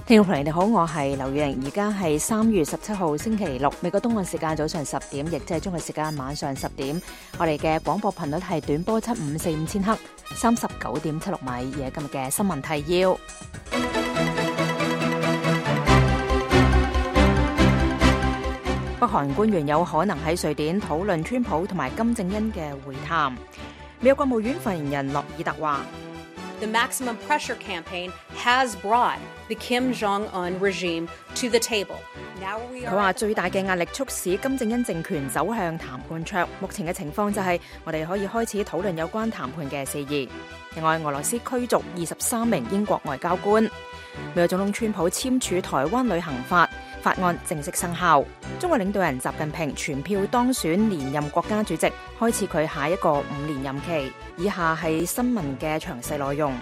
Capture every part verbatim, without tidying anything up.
聽眾朋友你好，我係劉雨瑩，而家係三月十七號星期六，美國東岸時間早上十點，亦即係中國時間晚上十點。我哋嘅廣播頻率係短波七五四五千赫，三十九點七六米。而係今日嘅新聞提要。北韓官員有可能喺瑞典討論川普同埋金正恩嘅會談。美國國務院發言人諾爾特話：The maximum pressure campaign has brought the Kim Jong-un regime to the table. 佢話最大嘅壓力促使金正恩政權走向談判桌。目前嘅情況就係我哋可以開始討論有關談判嘅事宜。另外，俄羅斯驅逐二十三名英國外交官。美國總統川普簽署台灣旅行法，法案正式生效。中國領導人習近平全票當選連任國家主席，開始佢下一個五年任期。以下係新聞嘅詳細內容。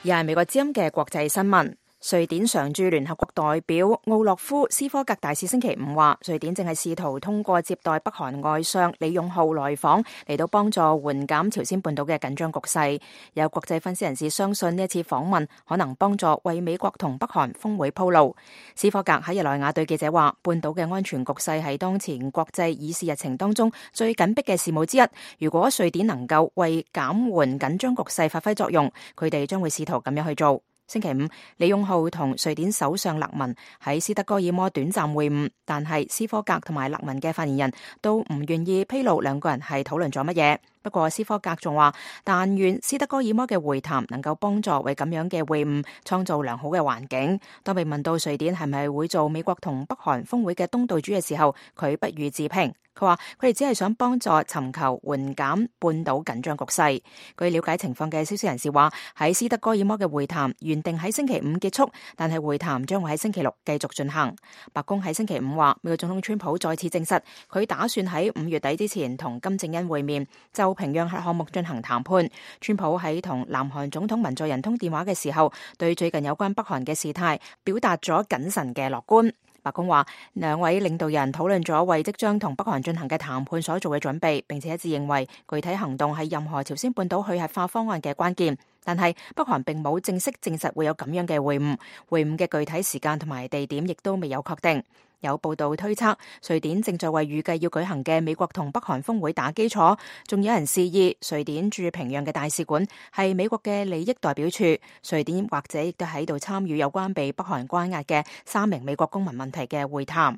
而係美國之音嘅國際新聞。瑞典常駐聯合國代表奧洛夫斯科格大使星期五話，瑞典正係試圖通過接待北韓外相李勇浩來訪，嚟到幫助緩減朝鮮半島嘅緊張局勢。有國際分析人士相信呢一次訪問可能幫助為美國同北韓峰會鋪路。斯科格喺日內瓦對記者話，半島嘅安全局勢係當前國際議事日程當中最緊迫嘅事務之一。如果瑞典能夠為減緩緊張局勢發揮作用，佢哋將會試圖咁樣去做。星期五，李勇浩同瑞典首相勒文喺斯德哥爾摩短暫會晤，但係斯科格同埋勒文嘅發言人都唔願意披露兩個人係討論咗乜嘢。不過斯科格仲話，但願斯德哥爾摩嘅會談能夠幫助為咁樣嘅會晤創造良好嘅環境。當被問到瑞典係咪會做美國同北韓峰會嘅東道主嘅時候，佢不予置評。佢話佢哋只係想幫助尋求緩減半島緊張局勢。據了解情況嘅消息人士話，喺斯德哥爾摩嘅會談原定喺星期五結束，但係會談將會喺星期六繼續進行。白宮喺星期五話，美國總統川普再次證實佢打算喺五月底之前同金正恩會面，就平壤核項目進行談判。川普喺同南韓總統文在寅通電話嘅時候，對最近有關北韓嘅事態表達咗謹慎嘅樂觀。白宮話，兩位領導人討論咗為即將同北韓進行嘅談判所做嘅準備，並且一致認為具體行動係任何朝鮮半島去核化方案嘅關鍵。但係北韓並冇正式證實會有咁樣嘅會晤，會晤嘅具體時間同埋地點亦都未有確定。有報道推測，瑞典正在為預計要舉行嘅美國同北韓峰會打基礎，仲有人示意瑞典駐平壤嘅大使館係美國嘅利益代表處，瑞典或者亦都喺度參與有關被北韓關押嘅三名美國公民問題嘅會談。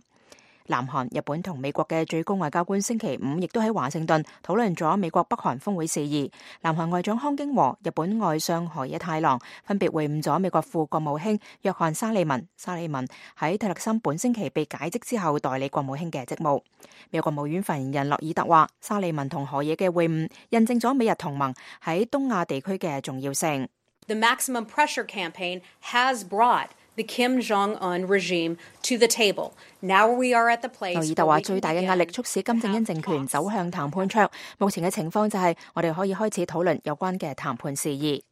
南韓、日本同美國嘅最高外交官星期五亦都喺華盛頓討論咗美國北韓峰會事宜。南韓外長康京和、日本外相河野太郎分別會晤咗美國副國務卿約翰沙利文。沙利文喺特勒森本星期被解職之後代理國務卿嘅職務。美國國務院發言人諾爾特話，沙利文同河野嘅會晤印證咗美日同盟喺東亞地區嘅重要性。The maximum pressure campaign has brought the Kim Jong-un regime to the table. Now we are at the place. 諾爾特話，最大嘅壓力促使金正恩政權走向談判桌。目前嘅情況就係我哋可以開始討論有關嘅談判事宜。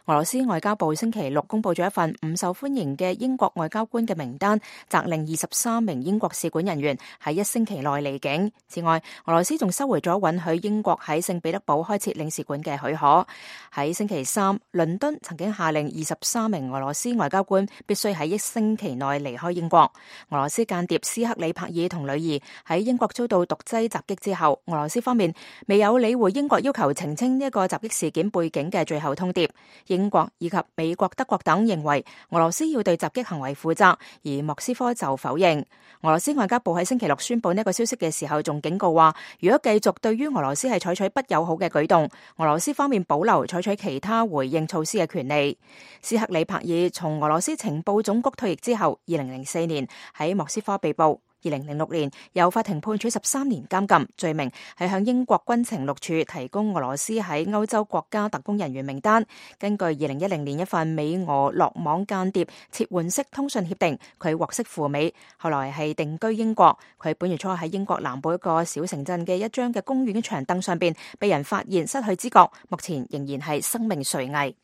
俄羅斯外交部星期六公布咗一份唔受歡迎嘅英國外交官嘅名單，責令二十三名英國使館人員喺一星期內離境。此外，俄羅斯仲收回咗允許英國喺聖彼得堡開設領事館嘅許可。喺星期三，倫敦曾經下令二十三名俄羅斯外交官必須喺一星期內離開英國。俄羅斯間諜斯克里帕爾同女兒喺英國遭到毒劑襲擊之後，俄羅斯方面未有理會英國要求澄清呢一個襲擊事件背景嘅最後通牒。英國以及美國、德國等認為俄羅斯要對襲擊行為負責，而莫斯科就否認。俄羅斯外交部喺星期六宣布呢個消息嘅時候，仲警告話，如果繼續對於俄羅斯係採取不友好嘅舉動，俄羅斯方面保留採取其他回應措施嘅權利。斯克里帕爾從俄羅斯情報總局退役之後，二零零四年喺莫斯科被捕。二零零六年由法庭判處十三年監禁，罪名係向英國軍情六處提供俄羅斯喺歐洲國家特工人員名單。根據二零一零年一份美俄落網間諜撤換式通訊協定，佢獲釋赴美，後來係定居英國。佢本月初喺英國南部一個小城鎮嘅一張嘅公園長凳上邊被人發現失去知覺，目前仍然係生命垂危。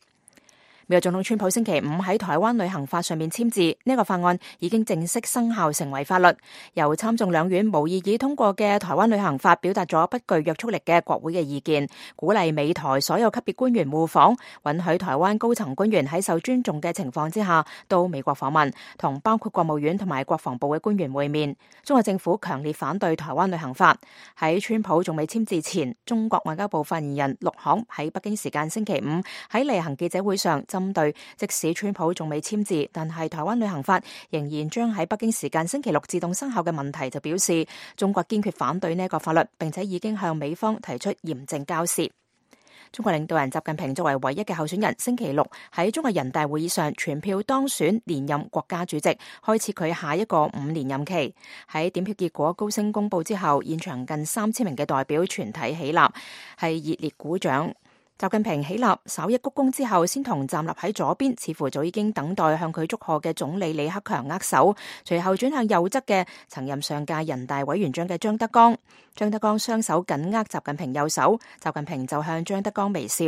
美國總統川普星期五喺台灣旅行法上面簽字，呢個法案已經正式生效成為法律。由參眾兩院無異議通過嘅台灣旅行法表達咗不具約束力嘅國會嘅意見，鼓勵美台所有級別官員互訪，允許台灣高層官員喺受尊重嘅情況之下到美國訪問，同包括國務院同埋國防部嘅官員會面。中國政府強烈反對台灣旅行法。喺川普仲未簽字前，中國外交部發言人陸慷喺北京時間星期五喺例行記者會上，針對即使川普仲未簽字，但係台灣旅行法仍然將喺北京時間星期六自動生效嘅問題，就表示中國堅決反對呢個法律，並且已經向美方提出嚴正交涉。中國領導人習近平作為唯一嘅候選人，星期六喺中國人大會議上全票當選連任國家主席，開始佢下一個五年任期。喺點票結果高聲公布之後，現場近三千名嘅代表全體起立，係熱烈鼓掌。習近平起立，稍一鞠躬之後，先同站立喺左邊，似乎早已經等待向佢祝賀嘅總理李克強握手，隨後轉向右側嘅曾任上屆人大委員長嘅張德江。張德江雙手緊握習近平右手，習近平就向張德江微笑。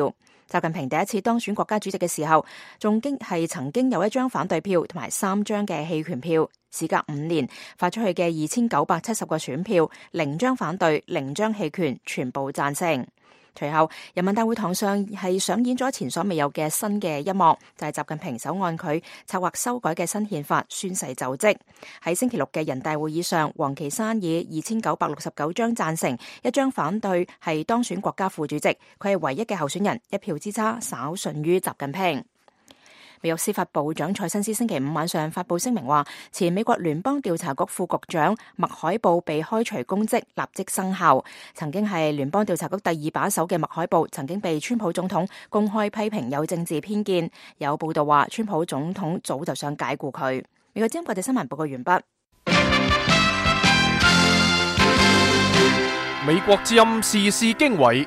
習近平第一次當選國家主席嘅時候，仲經係曾經有一張反對票同埋三張嘅棄權票。事隔五年，發出去嘅二千九百七十個選票，零張反對，零張棄權，全部贊成。隨後，人民大會堂上係上演咗前所未有嘅新嘅一幕，就係、是、習近平手按佢策劃修改嘅新憲法宣誓就職。喺星期六嘅人大會議上，王岐山以二千九百六十九張贊成，一張反對，係當選國家副主席。佢係唯一嘅候選人，一票之差，稍遜於習近平。美國司法部長蔡新斯星期五晚上發布聲明話，前美國聯邦調查局副局長麥海布被開除公職，立即生效。曾經係聯邦調查局第二把手嘅麥海布，曾經被川普總統公開批評有政治偏見。有報道話，川普總統早就想解僱佢。美國之音國際新聞報告完畢。美國之音時事經緯。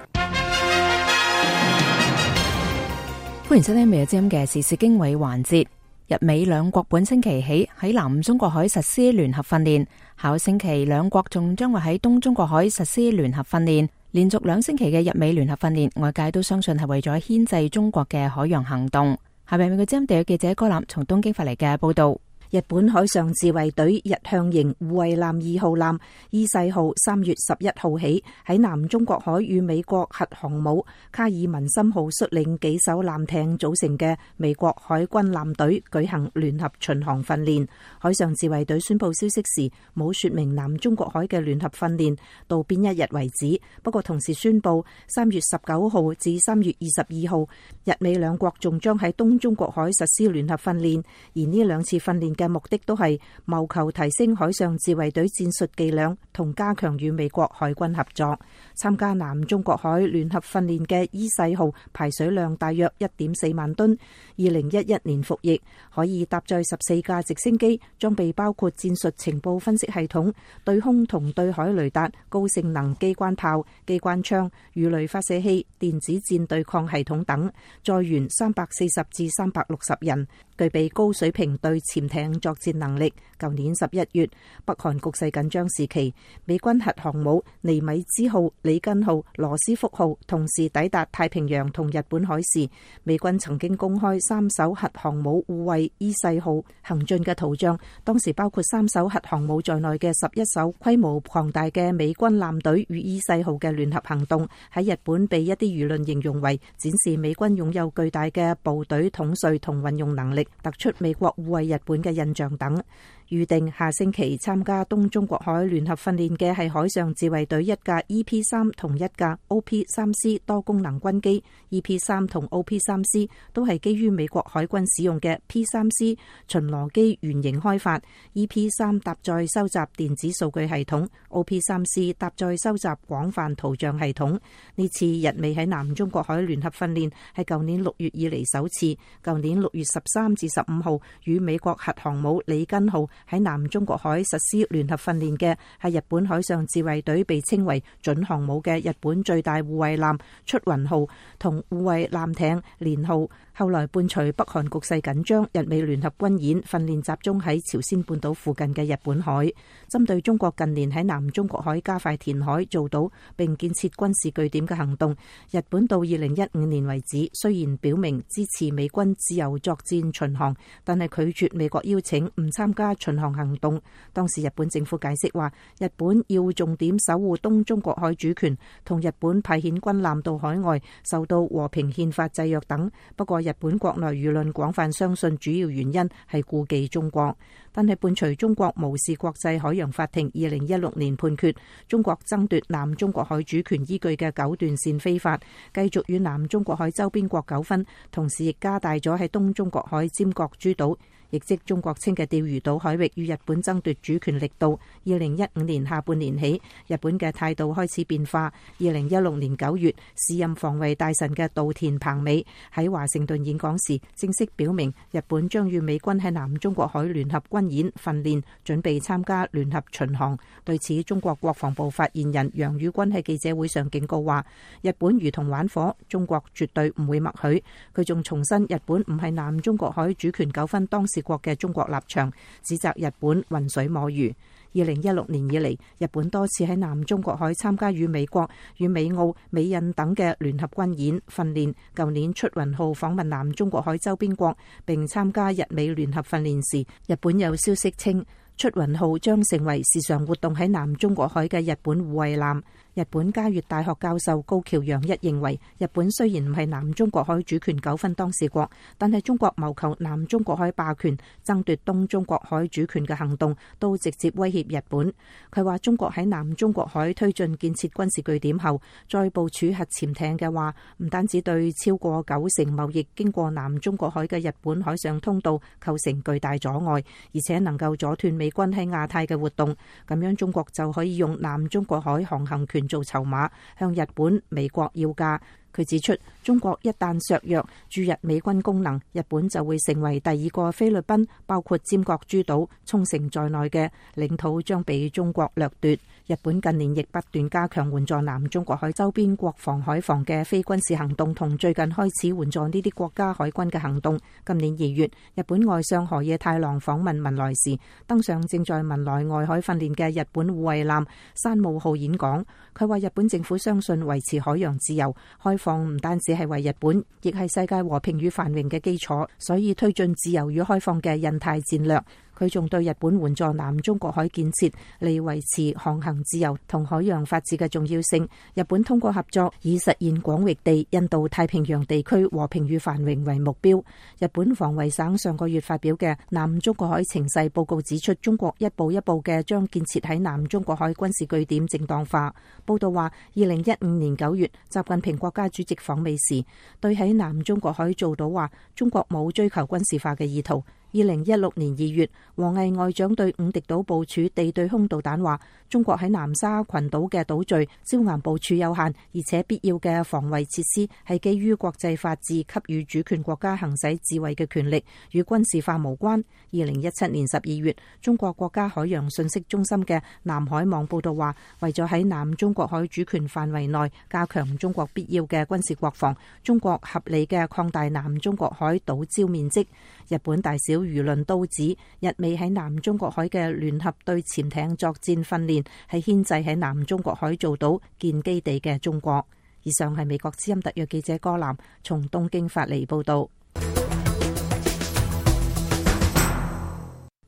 歡迎收聽美國之音嘅時事經緯環節。日美兩國本星期起喺南中國海實施聯合訓練，下星期兩國仲將會喺東中國海實施聯合訓練。連續兩星期嘅日美聯合訓練，外界都相信係為咗牽制中國嘅海洋行動。下面美國之音地約記者柯南從東京發嚟嘅報道。日本海上自衛隊日向型護衛艦二號艦伊勢號三月十一號起喺南中國海與美國核航母卡爾文森號率領幾艘艦艇組成嘅美國海軍艦隊舉行聯合巡航訓練。海上自衛隊宣布消息時冇說明南中國海嘅聯合訓練到邊一日為止，不過同時宣布三月十九號至三月二十二號日美兩國仲將喺東中國海實施聯合訓練，而呢兩次訓練嘅目的都係謀求提升海上自衛隊戰術伎倆同加強與美國海軍合作。參加南中國海聯合訓練嘅伊勢號排水量大約一點四萬噸，二零一一年服役，可以搭載十四架直升機，裝備包括戰術情報分析系統、對空同對海雷達、高性能機關炮、機關槍、魚雷發射器、電子戰對抗系統等，載員三百四十至三百六十人，具備高水平對潛艇作戰能力。舊年十一月，北韓局勢緊張時期，美軍核航母尼米茲號、里根號、羅斯福號同時抵達太平洋同日本海時，美軍曾經公開三艘核航母護衛伊勢號行進嘅圖像。當時包括三艘核航母在內嘅十一艘規模龐大嘅美軍艦隊與伊勢號嘅聯合行動，喺日本被一啲輿論形容為展示美軍擁有巨大嘅部隊統帥同運用能力，突出美國護衛日本嘅印象等。預定下星期參加東中國海聯合訓練嘅係海上自衛隊一架 E P 三同一架 O P 三 C 多功能軍機。E P 三同 O P 三 C 都係基於美國海軍使用嘅 P 三 C 巡邏機原型開發。E P 三搭載收集電子數據系統， O P 三 C 搭載收集廣泛圖像系統。呢次日美喺南中國海聯合訓練係舊年六月以嚟首次。舊年六月十三至十五號與美國核航母里根號喺南中國海實施聯合訓練嘅係日本海上自衛隊被稱為準航母嘅日本最大護衛艦出雲號同護衛艦艇連號後來伴隨北韓局勢緊張，日美聯合軍演訓練集中喺朝鮮半島附近嘅日本海，針對中國近年喺南中國海加快填海造島並建設軍事據點嘅行動，日本到二零一五年為止，雖然表明支持美軍自由作戰巡航，但係拒絕美國邀請唔參加巡航行動。當時日本政府解釋話，日本要重點守護東中國海主權，同日本派遣軍艦到海外受到和平憲法制約等。不過日本國內輿論廣泛相信主要原因係顧忌中國，但係伴隨中國無視國際海洋法庭二零一六年判決中國爭奪南中國海主權依據嘅九段線非法，繼續與南中國海周邊國糾紛，同時亦加大咗喺東中國海尖閣諸島，亦即中國稱嘅釣魚島海域與日本爭奪主權力度。二零一五年下半年起，日本嘅態度開始變化。二零一六年九月，時任防衛大臣嘅稻田朋美喺華盛頓演講時，正式表明日本將與美軍喺南中國海聯合軍演訓練，準備參加聯合巡航。對此，中國國防部發言人楊宇軍喺記者會上警告話，日本如同玩火，中國絕對唔會默許。佢仲重申日本唔係南中國海主權糾紛當事國嘅中國立場，指責日本渾水摸魚。二零一六年以嚟，日本多次喺南中國海參加與美國、與美澳、美印等嘅聯合軍演訓練。舊年出雲號訪問南中國海周邊國，並參加日美聯合訓練時，日本有消息稱出雲號將成為時常活動喺南中國海嘅日本護衛艦。日本嘉悅大學教授高橋洋一認為，日本雖然唔係南中國海主權糾紛當事國，但係中國謀求南中國海霸權、爭奪東中國海主權嘅行動，都直接威脅日本。佢話中國喺南中國海推進建設軍事據點後，再部署核潛艇嘅話，唔單止對超過九成貿易經過南中國海嘅日本海上通道構成巨大阻礙，而且能夠阻斷美軍喺亞太嘅活動。咁樣中國就可以用南中國海航行權做籌碼，向日本、美國要價。佢指出，中國一旦削弱駐日美軍功能，日本就會成為第二個菲律賓，包括尖閣諸島、沖繩在內嘅領土將被中國掠奪。日本近年亦不斷加強援助南中國海周邊國防海防嘅非軍事行動，同最近開始援助呢啲國家海軍嘅行動。今年二月，日本外相河野太郎訪問文萊時，登上正在文萊外海訓練嘅日本護衛艦山武號演講。佢話日本政府相信維持海洋自由開放唔單止係為日本，亦係世界和平與繁榮嘅基礎，所以推進自由與開放嘅印太戰略。佢仲對日本援助南中國海建設嚟維持航行自由同海洋法治嘅重要性。日本通過合作，以實現廣域地印度太平洋地區和平與繁榮為目標。日本防衛省上個月發表嘅南中國海情勢報告指出，中國一步一步嘅將建設喺南中國海軍事據點正當化。報道話，二零一五年九月，習近平國家主席訪美時，對喺南中國海造島話，中國冇追求軍事化嘅意圖。二零一六年二月，王毅外長對五敵島部署地對空導彈話，中國喺南沙群島嘅島嶼椒岩部署有限，而且必要嘅防衛設施係基於國際法治給予主權國家行使自衛嘅權力，與軍事化無關。二零一七年十二月，中國國家海洋信息中心嘅南海網報道話，為咗喺南中國海主權範圍內加強中國必要嘅軍事國防，中國合理嘅擴大南中國海島礁面積。日本大小輿論都指，日美喺南中國海嘅聯合對潛艇作戰訓練係牽制喺南中國海造島建基地嘅中國。以上係美國之音特約記者歌南從東京發嚟報道。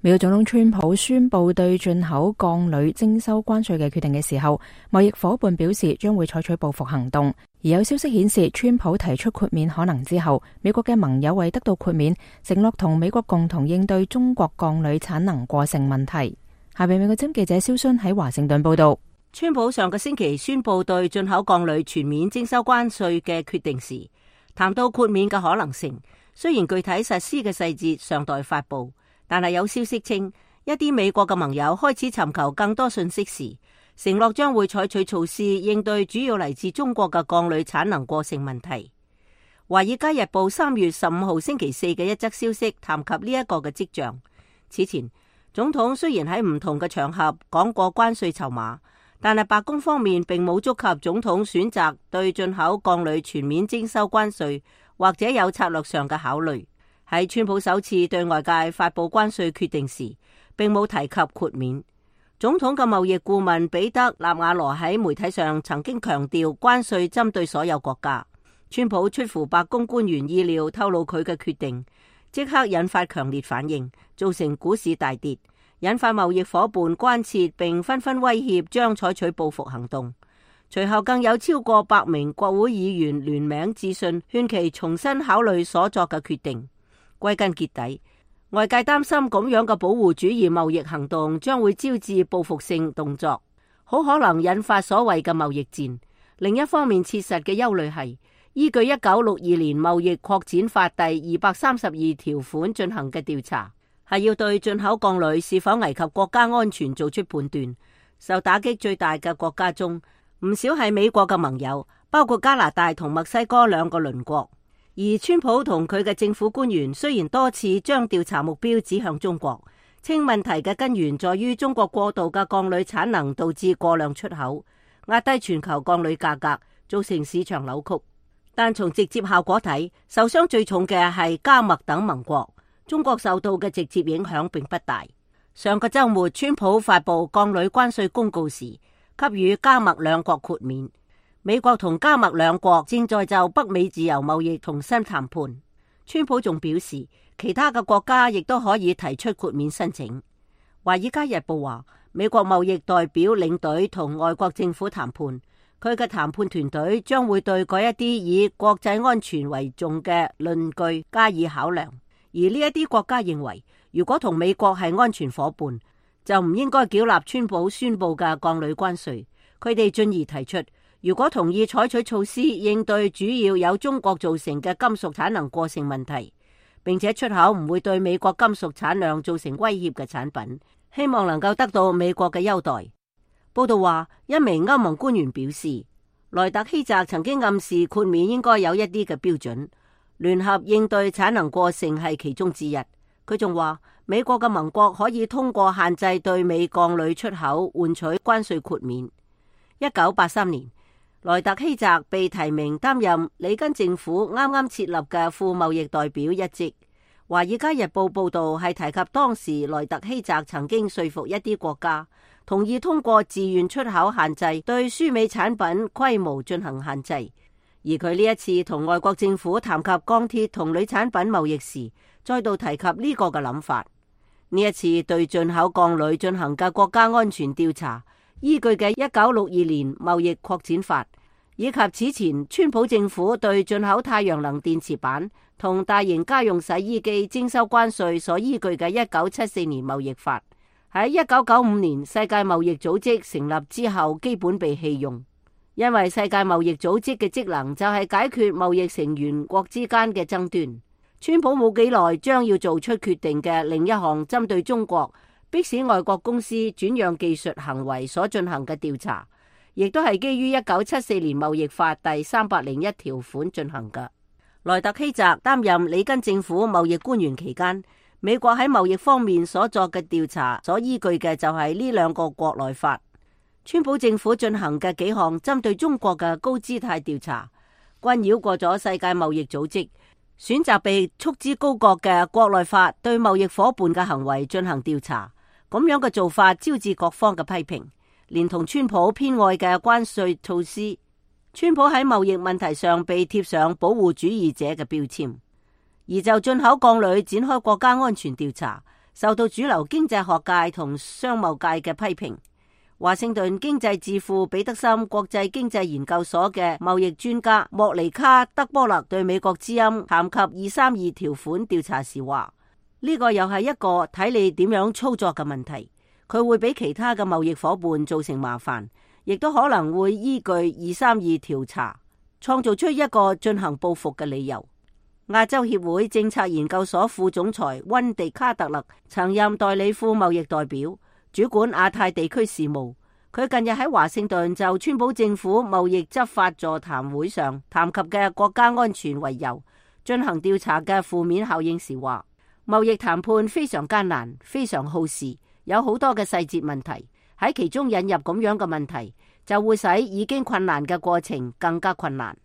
美國總統川普宣布對進口鋼鋁徵收關稅嘅決定嘅時候，貿易夥伴表示將會採取報復行動。而有消息顯示，川普提出豁免可能之後，美國嘅盟友為得到豁免，承諾同美國共同應對中國鋼鋁產能過剩問題。下邊美國之音記者蕭순喺華盛頓報道。川普上個星期宣布對進口鋼鋁全面徵收關稅嘅決定時，談到豁免嘅可能性。雖然具體實施嘅細節尚待發布，但係有消息稱，一啲美國嘅盟友開始尋求更多信息時，承諾將會採取措施應對主要嚟自中國嘅鋼鋁產能過剩問題。華爾街日報三月十五號星期四嘅一則消息談及呢一個嘅跡象。此前，總統雖然喺唔同嘅場合講過關稅籌碼，但係白宮方面並冇觸及總統選擇對進口鋼鋁全面徵收關稅或者有策略上嘅考慮。喺川普首次對外界發佈關稅決定時，並冇提及豁免。總統嘅貿易顧問彼得納瓦羅喺媒體上曾經強調關稅針對所有國家。川普出乎白宮官員意料透露佢嘅決定，即刻引發強烈反應，造成股市大跌，引發貿易夥伴關切並紛紛威脅將採取報復行動。隨後更有超過百名國會議員聯名致信，勸其重新考慮所作嘅決定。歸根結底，外界擔心咁樣嘅保護主義貿易行動將會招致報復性動作，好可能引發所謂嘅貿易戰。另一方面，切實嘅憂慮係依據一九六二年貿易擴展法第二百三十二條款進行嘅調查，係要對進口鋼鋁是否危及國家安全做出判斷。受打擊最大嘅國家中，唔少係美國嘅盟友，包括加拿大同墨西哥兩個鄰國。而川普同佢嘅政府官員雖然多次將調查目標指向中國，稱問題嘅根源在於中國過度嘅鋼鋁產能導致過量出口，壓低全球鋼鋁價格，造成市場扭曲。但從直接效果睇，受傷最重嘅係加墨等盟國，中國受到嘅直接影響並不大。上個週末，川普發布鋼鋁關稅公告時，給予加墨兩國豁免。美國同加墨兩國正在就北美自由貿易重新談判。川普仲表示，其他嘅國家亦都可以提出豁免申請。華爾街日報話，美國貿易代表領隊同外國政府談判，佢嘅談判團隊將會對嗰一啲以國際安全為重嘅論據加以考量。而呢一啲國家認為，如果同美國係安全夥伴，就唔應該繳納川普宣布嘅鋼鋁關稅。佢哋進而提出，如果同意採取措施應對主要由中國造成嘅金屬產能過剩問題，並且出口唔會對美國金屬產量造成威脅嘅產品，希望能夠得到美國嘅優待。報道話，一名歐盟官員表示，萊特希澤曾經暗示豁免應該有一啲嘅標準，聯合應對產能過剩係其中之一。佢仲話，美國嘅盟國可以通過限制對美鋼鋁出口換取關稅豁免。一九八三年，萊特希澤被提名擔任里根政府啱啱設立嘅副貿易代表一職。華爾街日報報道係提及當時萊特希澤曾經說服一啲國家同意通過自願出口限制對輸美產品規模進行限制。而佢呢一次同外國政府談及鋼鐵同鋁產品貿易時，再度提及呢個嘅諗法。呢一次對進口鋼鋁進行嘅國家安全調查，依據嘅一九六二年貿易擴展法，以及此前川普政府對進口太陽能電池板同大型家用洗衣機徵收關稅所依據嘅一九七四年貿易法，喺一九九五年世界貿易組織成立之後基本被棄用，因為世界貿易組織嘅職能就係解決貿易成員國之間嘅爭端。川普冇幾耐將要做出決定嘅另一項針對中國迫使外國公司轉讓技術行為所進行嘅調查，亦都係基於一九七四年貿易法第三百零一條款進行嘅。萊特希澤擔任里根政府貿易官員期間，美國喺貿易方面所作嘅調查所依據嘅就係呢兩個國內法。川普政府進行嘅幾項針對中國嘅高姿態調查，均繞過咗世界貿易組織，選擇被束之高閣嘅國內法對貿易夥伴嘅行為進行調查。咁樣嘅做法招致各方嘅批評，連同川普偏愛嘅關稅措施，川普喺貿易問題上被貼上保護主義者嘅標籤。而就進口鋼鋁展開國家安全調查，受到主流經濟學界同商貿界嘅批評。華盛頓經濟智庫彼得森國際經濟研究所嘅貿易專家莫尼卡德波勒對美國之音談及二三二條款調查時話，呢個又係一個睇你點樣操作嘅問題，佢會俾其他嘅貿易夥伴造成麻煩，亦都可能會依據二三二調查創造出一個進行報復嘅理由。亞洲協會政策研究所副總裁溫迪卡特勒曾任代理副貿易代表，主管亞太地區事務。佢近日喺華盛頓就川普政府貿易執法座談會上談及嘅國家安全為由進行調查嘅負面效應時話，貿易談判非常艱難，非常耗時，有好多嘅細節問題，喺其中引入咁樣嘅問題，就會使已經困難嘅過程更加困難。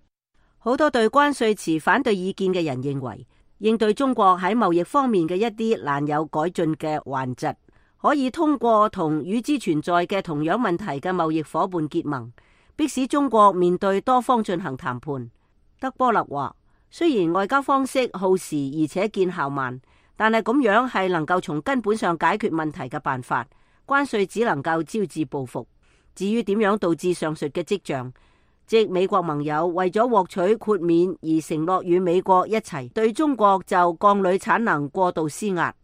好多對關稅持反對意見嘅人認為，應對中國喺貿易方面嘅一啲難有改進嘅頑疾，可以通過同與之存在嘅同樣問題嘅貿易夥伴結盟，迫使中國面對多方進行談判。德波勒話，雖然外交方式耗時而且見效慢，但係咁樣係能夠從根本上解決問題嘅辦法。關稅只能夠招致報復。至於點樣導致上述嘅跡象，即美國盟友為咗獲取豁免而承諾與美國一齊對中國就鋼鋁產能過度施壓，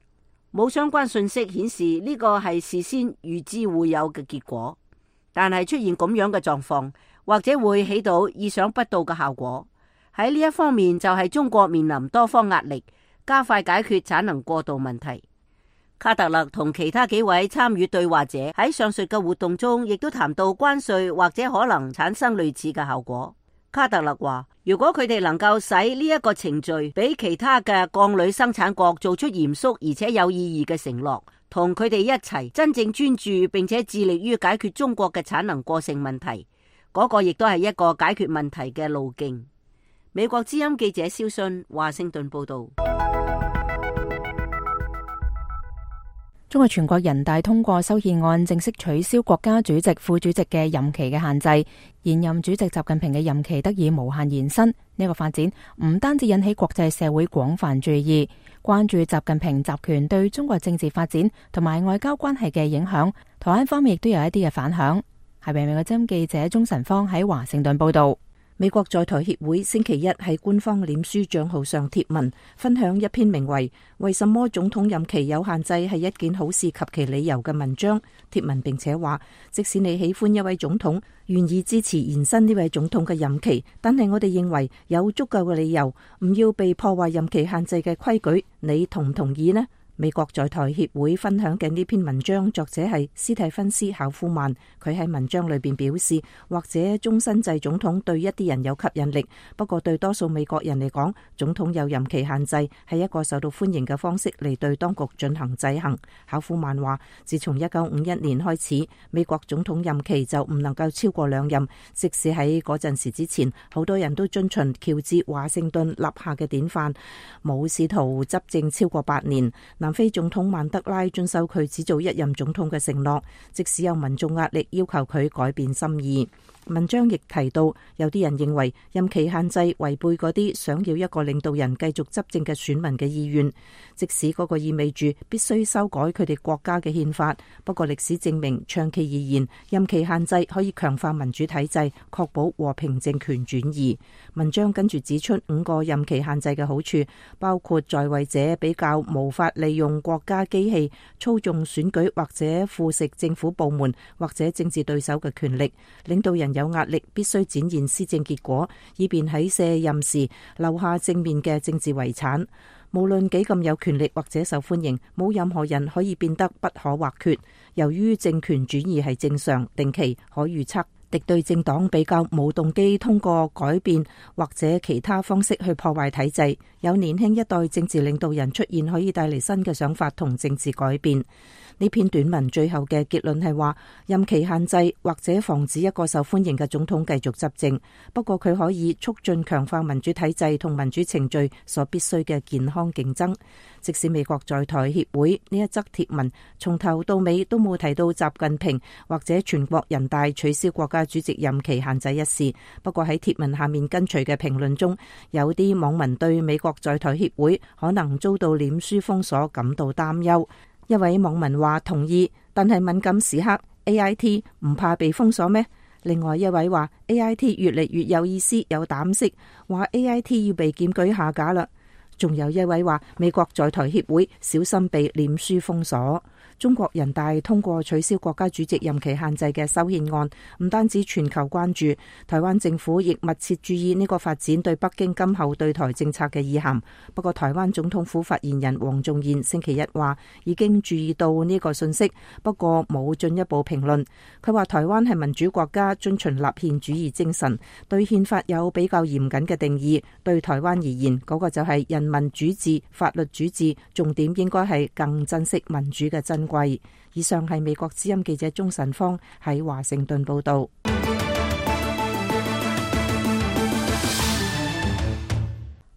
冇相關信息顯示呢個係事先預知會有嘅結果。但係出現咁樣嘅狀況，或者會起到意想不到嘅效果。喺呢一方面就係中國面臨多方壓力，加快解決產能過度問題。卡特勒同其他幾位參與對話者喺上述嘅活動中，亦都談到關稅或者可能產生類似嘅效果。卡特勒話，如果佢哋能夠使呢一個程序俾其他嘅鋼鋁生產國做出嚴肅而且有意義嘅承諾，同佢哋一齊真正專注並且致力於解決中國嘅產能過剩問題，嗰個亦都係一個解決問題嘅路徑。美國之音記者蕭信華盛頓報道。中國全國人大通過修憲案，正式取消國家主席、副主席嘅任期嘅限制，現任主席習近平嘅任期得以無限延伸。呢個發展唔單止引起國際社會廣泛注意，關注習近平集權對中國政治發展同埋外交關係嘅影響。台灣方面亦都有一啲嘅反響。係美國之音記者鍾晨芳喺華盛頓報道。美國在台協會星期一喺官方臉書賬號上貼文，分享一篇名為《為什麼總統任期有限制係一件好事及其理由》嘅文章。貼文並且話，即使你喜歡一位總統，願意支持延伸呢位總統嘅任期，但係我哋認為有足夠嘅理由唔要被破壞任期限制嘅規矩，你同唔同意呢？美國在台協會分享嘅呢篇文章作者係斯蒂芬斯考夫曼，佢喺文章裏邊表示，或者終身制總統對一啲人有吸引力，不過對多數美國人嚟講，總統有任期限制係一個受到歡迎嘅方式嚟對當局進行制衡。考夫曼話，自從一九五一年開始，美國總統任期就唔能夠超過兩任，即使喺嗰陣時之前，好多人都遵循喬治華盛頓立下嘅典範，冇試圖執政超過八年。南非總統曼德拉遵守佢只做一任總統嘅承諾，即使有民眾壓力要求佢改變心意。文章亦提到，有啲人認為任期限制違背嗰啲想要一個領導人繼續執政嘅選民嘅意願，即使嗰個意味住必須修改佢哋國家嘅憲法。不過歷史證明，長期而言，任期限制可以強化民主體制，確保和平政權轉移。文章跟住指出五個任期限制嘅好處，包括在位者比較無法利用國家機器操縱選舉或者腐蝕政府部門或者政治對手嘅權力，領導人有壓力必須展現施政結果，以便喺卸任時留下正面嘅政治遺產。無論幾咁有權力或者受歡迎，冇任何人可以變得不可或缺。由於政權轉移係正常、定期、可預測，敵對政黨比較冇動機通過改變或者其他方式去破壞體制。有年輕一代政治領導人出現，可以帶嚟新嘅想法同政治改變。呢篇短文最後嘅結論係話，任期限制或者防止一個受歡迎嘅總統繼續執政，不過佢可以促進強化民主體制同民主程序所必須嘅健康競爭。即使美國在台協會呢一則貼文從頭到尾都冇提到習近平或者全國人大取消國家主席任期限制一事，不過喺貼文下面跟隨嘅評論中，有啲網民對美國在台協會可能遭到臉書封鎖感到擔憂。一位網民話同意，但係敏感時刻 A I T 唔怕被封鎖咩？另外一位話 A I T 越嚟越有意思有膽識，話 A I T 要被檢舉下架啦。仲有一位話美國在台協會小心被臉書封鎖。中國人大通過取消國家主席任期限制嘅修憲案，唔單止全球關注，台灣政府亦密切注意呢個發展對北京今後對台政策嘅意涵。不過台灣總統府發言人黃仲賢星期一話已經注意到呢個信息，不過冇進一步評論。佢話台灣係民主國家，遵循立憲主義精神，對憲法有比較嚴謹嘅定義。對台灣而言，嗰個就係人民主治、法律主治，重點應該係更珍惜民主嘅珍貴。以上係美國之音記者鍾晨芳喺華盛頓報道。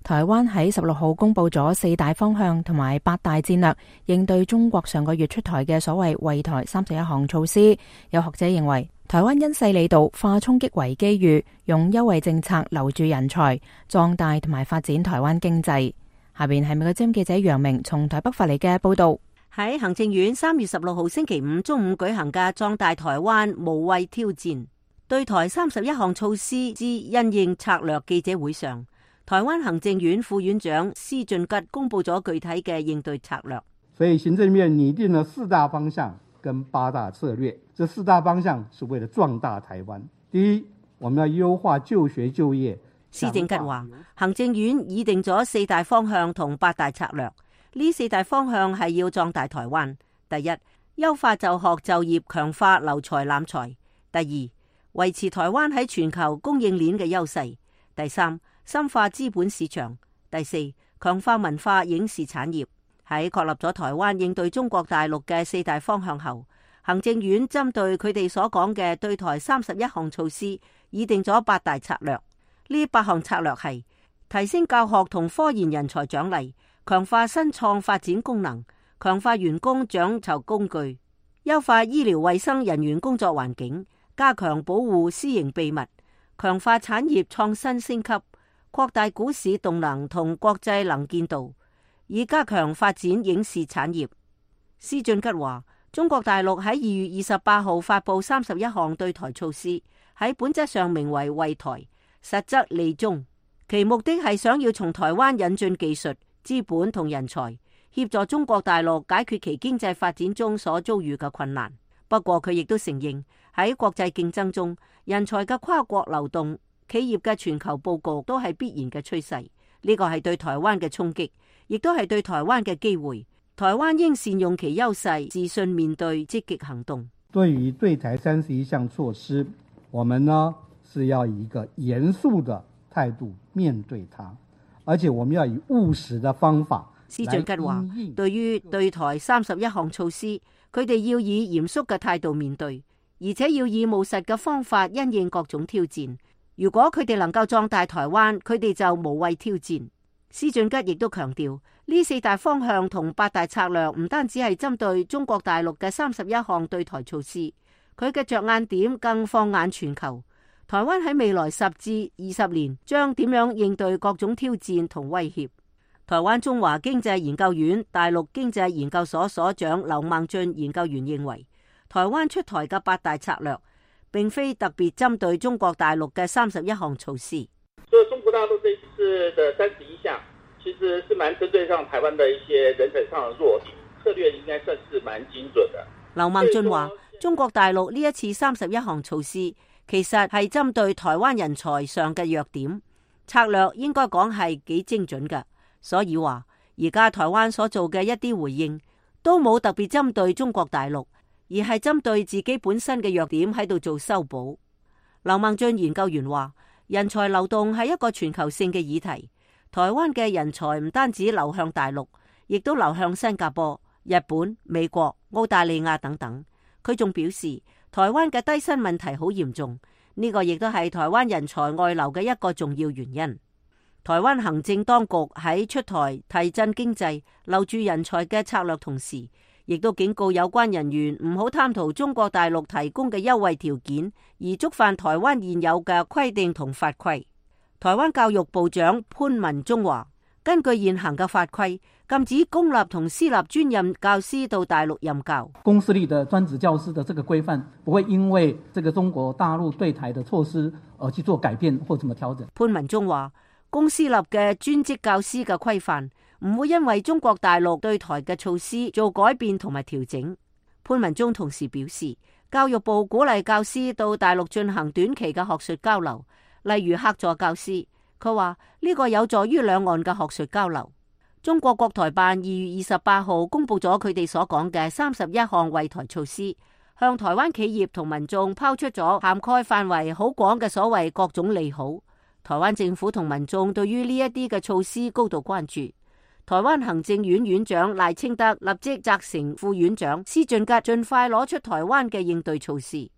台灣喺十六號公布咗四大方向同埋八大戰略，應對中國上個月出台嘅所謂惠台三十一項措施。有學者認為，台灣因勢利導，化衝擊為機遇，用優惠政策留住人才，壯大同埋發展台灣經濟。下邊係美國之音記者楊明從台北發嚟嘅報道。喺行政院三月十六號星期五中午舉行嘅壯大台灣無畏挑戰對台三十一項措施之因應策略記者會上，台灣行政院副院長施俊吉公布咗具體嘅應對策略。所以行政院擬定了四大方向跟八大策略，這四大方向是為了壯大台灣。第一，我們要優化就學就業。施俊吉話，行政院擬定咗四大方向同八大策略，呢四大方向係要壯大台灣。第一，優化就學就業，強化留才攬才。第二，維持台灣喺全球供應鏈嘅優勢。第三，深化資本市場。第四，強化文化影視產業。喺確立咗台灣應對中國大陸嘅四大方向後，行政院針對佢哋所講嘅對台三十一項措施，擬定咗八大策略。呢八項策略係提升教學同科研人才獎勵，強化新創發展功能，強化員工獎酬工具，優化醫療衛生人員工作環境，加強保護私營秘密，強化產業創新升級，擴大股市動能同國際能見度，以加強發展影視產業。施俊吉話，中國大陸喺二月二十八號發布三十一項對台措施，喺本質上名為惠台，實則利中，其目的係想要從台灣引進技術、資本同人才，協助中國大陸解決其經濟發展中所遭遇嘅困難。不過佢亦都承認，喺國際競爭中，人才嘅跨國流動、企業嘅全球佈局都係必然嘅趨勢。呢個係對台灣嘅衝擊，亦都係對台灣嘅機會。台灣應善用其優勢，自信面對，積極行動。對於對台三十一項措施，我們呢是要以一個嚴肅的態度面對它，而且我們要以務實的方法。施俊吉話，對於對台三十一項措施，佢哋要以嚴肅嘅態度面對，而且要以務實嘅方法因應各種挑戰。如果佢哋能夠壯大台灣，佢哋就無畏挑戰。施俊吉亦都強調，呢四大方向同八大策略唔單止係針對中國大陸嘅三十一項對台措施，佢嘅着眼點更放眼全球。台灣喺未來十至二十年將點樣應對各種挑戰同威脅？台灣中華經濟研究院大陸經濟研究所所長劉孟俊研究員認為，台灣出台嘅八大策略並非特別針對中國大陸嘅三十一項措施。所以中國大陸這一次的三十一項，其實是蠻針對上台灣的一些人才上的弱點，策略應該算是蠻精準的。劉孟俊話，中國大陸呢一次三十一項措施，其實係針對台灣人才上嘅弱點，策略應該講係幾精準嘅。所以話，而家台灣所做嘅一啲回應，都冇特別針對中國大陸，而係針對自己本身嘅弱點喺度做修補。劉孟俊研究員話，人才流動係一個全球性嘅議題，台灣嘅人才唔單止流向大陸，亦都流向新加坡、日本、美國、澳大利亞等等。佢仲表示，台灣嘅低薪問題好嚴重，呢個亦都係台灣人才外流嘅一個重要原因。台灣行政當局喺出台提振經濟、留住人才嘅策略同時，亦都警告有關人員唔好貪圖中國大陸提供嘅優惠條件，而觸犯台灣現有嘅規定同法規。台灣教育部長潘文忠話，根據現行嘅法規，禁止公立同私立專任教師到大陸任教。公私立的專職教師的這個規範，不會因為這個中國大陸對台的措施而去做改變或怎麼調整。潘文忠話，公私立嘅專職教師嘅規範唔會因為中國大陸對台嘅措施做改變同埋調整。潘文忠同時表示，教育部鼓勵教師到大陸進行短期嘅學術交流，例如客座教師。佢話呢個有助於兩岸嘅學術交流。中國國台辦二月二十八號公布咗佢哋所講嘅三十一項惠台措施，向台灣企業同民眾拋出咗涵蓋範圍好廣嘅所謂各種利好。台灣政府同民眾對於呢一啲嘅措施高度關注。台灣行政院院長賴清德立即責成副院長施俊吉盡快攞出台灣嘅應對措施。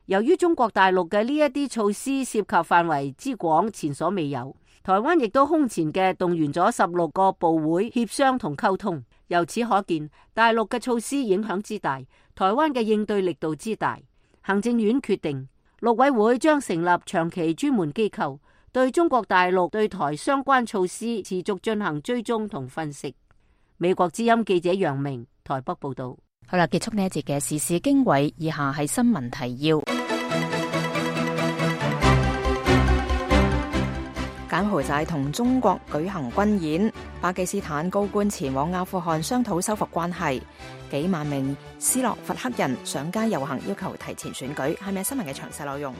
由於中國大陸嘅呢一啲措施涉及範圍之廣，前所未有，台灣亦都空前嘅動員咗十六個部會協商同溝通。由此可見，大陸嘅措施影響之大，台灣嘅應對力度之大。行政院決定，陸委會將成立長期專門機構，對中國大陸對台相關措施持續進行追蹤同分析。美國之音記者楊明台北報道。好啦，結束呢一節嘅時事經緯，以下係新聞提要。柬埔寨同中國舉行軍演，巴基斯坦高官前往阿富汗商討修復關係，幾萬名斯洛伐克人上街遊行，要求提前選舉。係咪新聞嘅詳細內容？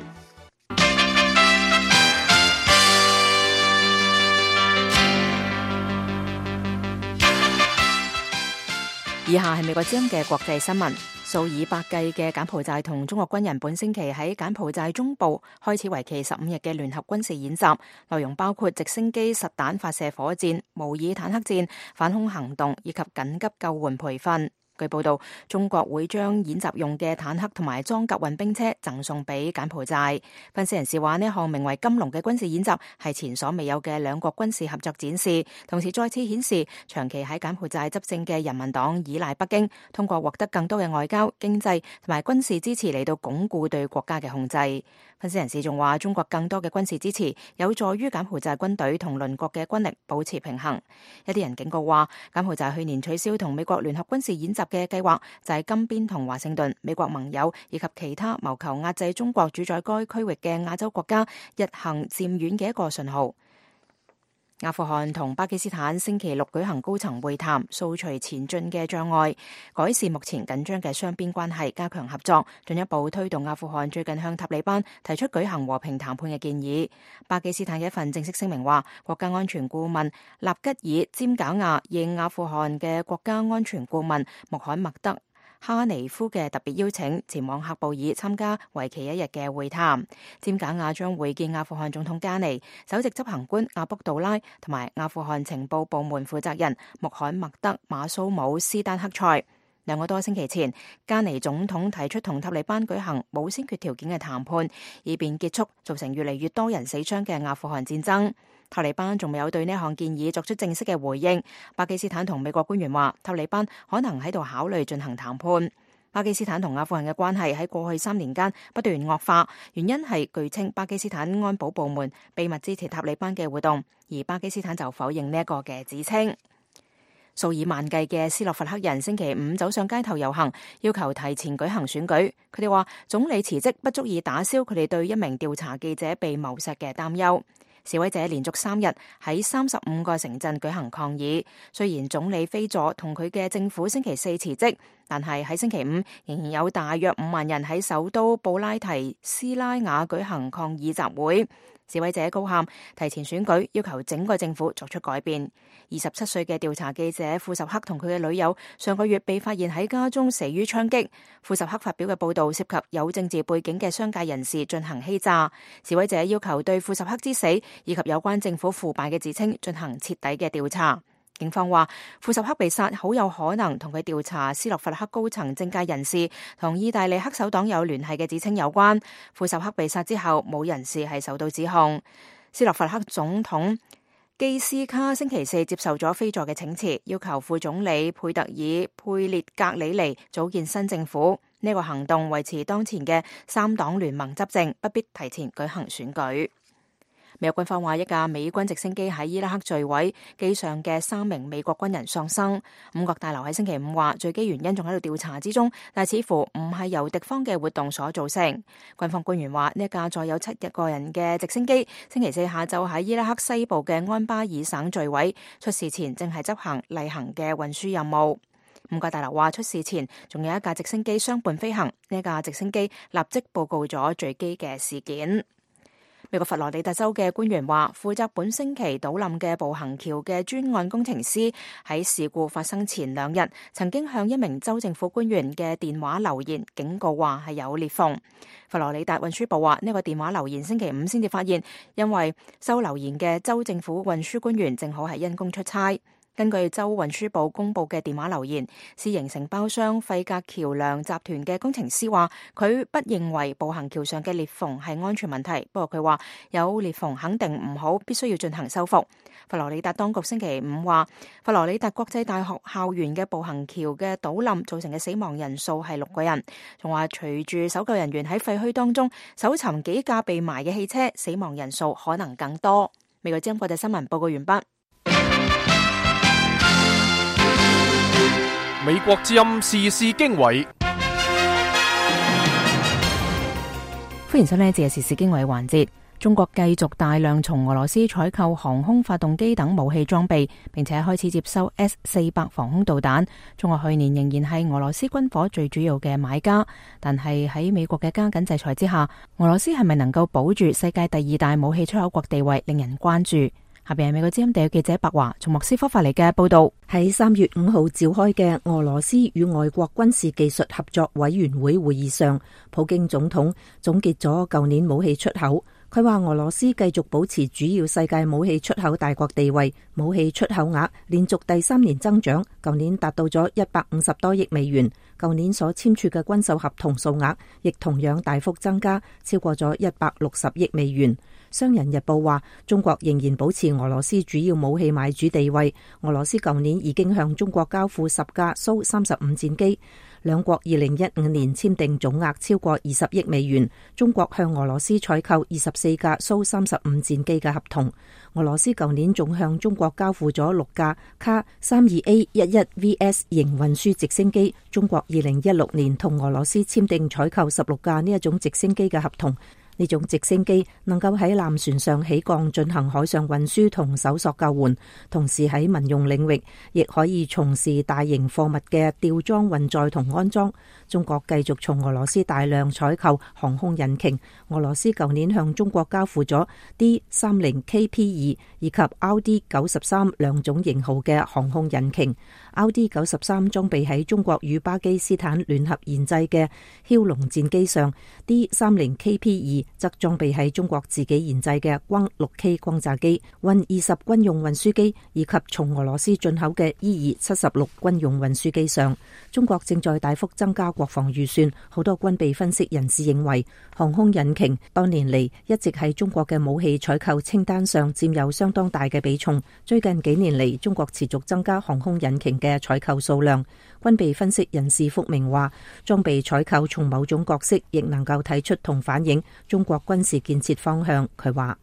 以下係美國之音嘅國際新聞。數以百計嘅柬埔寨同中國軍人本星期喺柬埔寨中部開始為期十五日嘅聯合軍事演習，內容包括直升機實彈發射火箭、模擬坦克戰、反空行動以及緊急救援培訓。據報道，中國會將演習用嘅坦克同埋裝甲運兵車贈送俾柬埔寨。分析人士話，呢項名為金龍嘅軍事演習係前所未有嘅兩國軍事合作展示，同時再次顯示長期喺柬埔寨執政嘅人民黨依賴北京，通過獲得更多嘅外交、經濟同埋軍事支持嚟到鞏固對國家嘅控制。分析人士仲話，中國更多嘅軍事支持有助於柬埔寨軍隊同鄰國嘅軍力保持平衡。一啲人警告話，柬埔寨去年取消同美國聯合軍事演習嘅計劃，就係金邊同華盛頓、美國盟友以及其他謀求壓制中國主宰該區域嘅亞洲國家日行漸遠嘅一個信號。阿富汗同巴基斯坦星期六舉行高層會談，掃除前進嘅障礙，改善目前緊張嘅雙邊關係，加強合作，進一步推動阿富汗最近向塔利班提出舉行和平談判嘅建議。巴基斯坦嘅一份正式聲明話，國家安全顧問納吉爾尖賈亞應阿富汗嘅國家安全顧問穆罕默德哈尼夫嘅特別邀請，前往喀布爾參加為期一日嘅會談。尖賈亞將會見阿富汗總統加尼、首席執行官阿卜杜拉同埋阿富汗情報部門負責人穆罕默德馬蘇姆斯丹克塞。兩個多星期前，加尼總統提出同塔利班舉行冇先決條件嘅談判，以便結束造成越嚟越多人死傷嘅阿富汗戰爭。塔利班仲未有對呢項建議作出正式嘅回應。巴基斯坦同美國官員話，塔利班可能喺度考慮進行談判。巴基斯坦同阿富汗嘅關係喺過去三年間不斷惡化，原因係據稱巴基斯坦安保部門秘密支持塔利班嘅活動，而巴基斯坦就否認呢一個嘅指稱。數以萬計嘅斯洛伐克人星期五走上街頭遊行，要求提前舉行選舉。佢哋話，總理辭職不足以打消佢哋對一名調查記者被謀殺嘅擔憂。示威者連續三日喺三十五個城鎮舉行抗議。雖然總理菲佐同佢嘅政府星期四辭職，但係喺星期五仍然有大約五萬人喺首都布拉提斯拉瓦舉行抗議集會。示威者高喊提前選舉，要求整個政府作出改變。二十七歲嘅調查記者庫什克同佢嘅女友上個月被發現喺家中死於槍擊。庫什克發表嘅報道涉及有政治背景嘅商界人士進行欺詐。示威者要求對庫什克之死以及有關政府腐敗嘅指稱進行徹底嘅調查。警方話，庫什克被殺好有可能同佢調查斯洛伐克高層政界人士同意大利黑手黨有聯繫嘅指稱有關。庫什克被殺之後，冇人士係受到指控。斯洛伐克總統基斯卡星期四接受咗菲佐嘅請辭，要求副總理佩特爾佩列格里尼組建新政府。呢、這個行動維持當前嘅三黨聯盟執政，不必提前舉行選舉。美國軍方話，一架美軍直升機喺伊拉克墜毀，機上嘅三名美國軍人喪生。五角大樓喺星期五話，墜機原因仲喺度調查之中，但似乎唔係由敵方嘅活動所造成。軍方官員話，呢一架載有七個人嘅直升機，星期四下晝喺伊拉克西部嘅安巴爾省墜毀，出事前正係執行例行嘅運輸任務。五角大樓話，出事前仲有一架直升機相伴飛行，呢架直升機立即報告咗墜機嘅事件。美國佛羅里達州嘅官員話，負責本星期倒冧嘅步行橋嘅專案工程師喺事故發生前兩日，曾經向一名州政府官員嘅電話留言，警告話係有裂縫。佛羅里達運輸部話，呢個電話留言星期五先至發現，因為收留言嘅州政府運輸官員正好係因公出差。根據州運輸部公布嘅電話留言，私營承包商費格橋梁集團嘅工程師話，佢不認為步行橋上嘅裂縫係安全問題，不過佢話有裂縫肯定唔好，必須要進行修復。佛羅里達當局星期五話，佛羅里達國際大學校園嘅步行橋嘅倒冧造成嘅死亡人數係六個人，仲話隨住搜救人員喺廢墟當中搜尋幾架被埋嘅汽車，死亡人數可能更多。美國之音國際新聞報告完畢。美國之音時事經緯，歡迎收聽呢一節嘅時事經緯環節。中國繼續大量從俄羅斯採購航空發動機等武器裝備，並且開始接收 S 四百防空導彈。中國去年仍然係俄羅斯軍火最主要嘅買家，但係喺美國嘅加緊制裁之下，俄羅斯係咪能夠保住世界第二大武器出口國地位，令人關注。下邊係美國之音地記者白華從莫斯科發嚟嘅報道。喺三月五號召開嘅俄羅斯與外國軍事技術合作委員會會議上，普京總統總結咗舊年武器出口。佢話俄羅斯繼續保持主要世界武器出口大國地位，武器出口額連續第三年增長，舊年達到咗一百五十多億美元。舊年所簽署嘅軍售合同數額亦同樣大幅增加，超過咗一百六十億美元。商人日報話，中國仍然保持俄羅斯主要武器買主地位。俄羅斯舊年已經向中國交付十架蘇三十五戰機，兩國二零一五年簽訂總額超過二十億美元。中國向俄羅斯採購二十四架蘇三十五戰機嘅合同。俄羅斯舊年仲向中國交付咗六架卡三二 A 一一 V S 型運輸直升機。中國二零一六年同俄羅斯簽訂採購十六架呢一種直升機嘅合同。呢種直升機能夠喺艦船上起降進行海上運輸同搜索救援，同時喺民用領域亦可以從事大型貨物嘅吊裝運載同安裝。中國繼續從俄羅斯大量採購航空引擎。俄羅斯舊年向中國交付咗 D 三十 K P 二以及 R D 九十三兩種型號嘅航空引擎。R D 九十三裝備喺中國與巴基斯坦聯合研製嘅梟龍戰機上， D 三十 K P 二則裝備喺中國自己研製嘅轟六 K 轟炸機、運二十軍用運輸機以及從俄羅斯進口嘅 E 二七十六軍用運輸機上。中國正在大幅增加國防預算，好多軍備分析人士認為，航空引擎多年嚟一直喺中國嘅武器採購清單上佔有相當大嘅比重。最近幾年嚟，中國持續增加航空引擎嘅採購數量。軍備分析人士福明話，裝備採購從某種角色亦能夠睇出同反映中國軍事建設方向。佢話，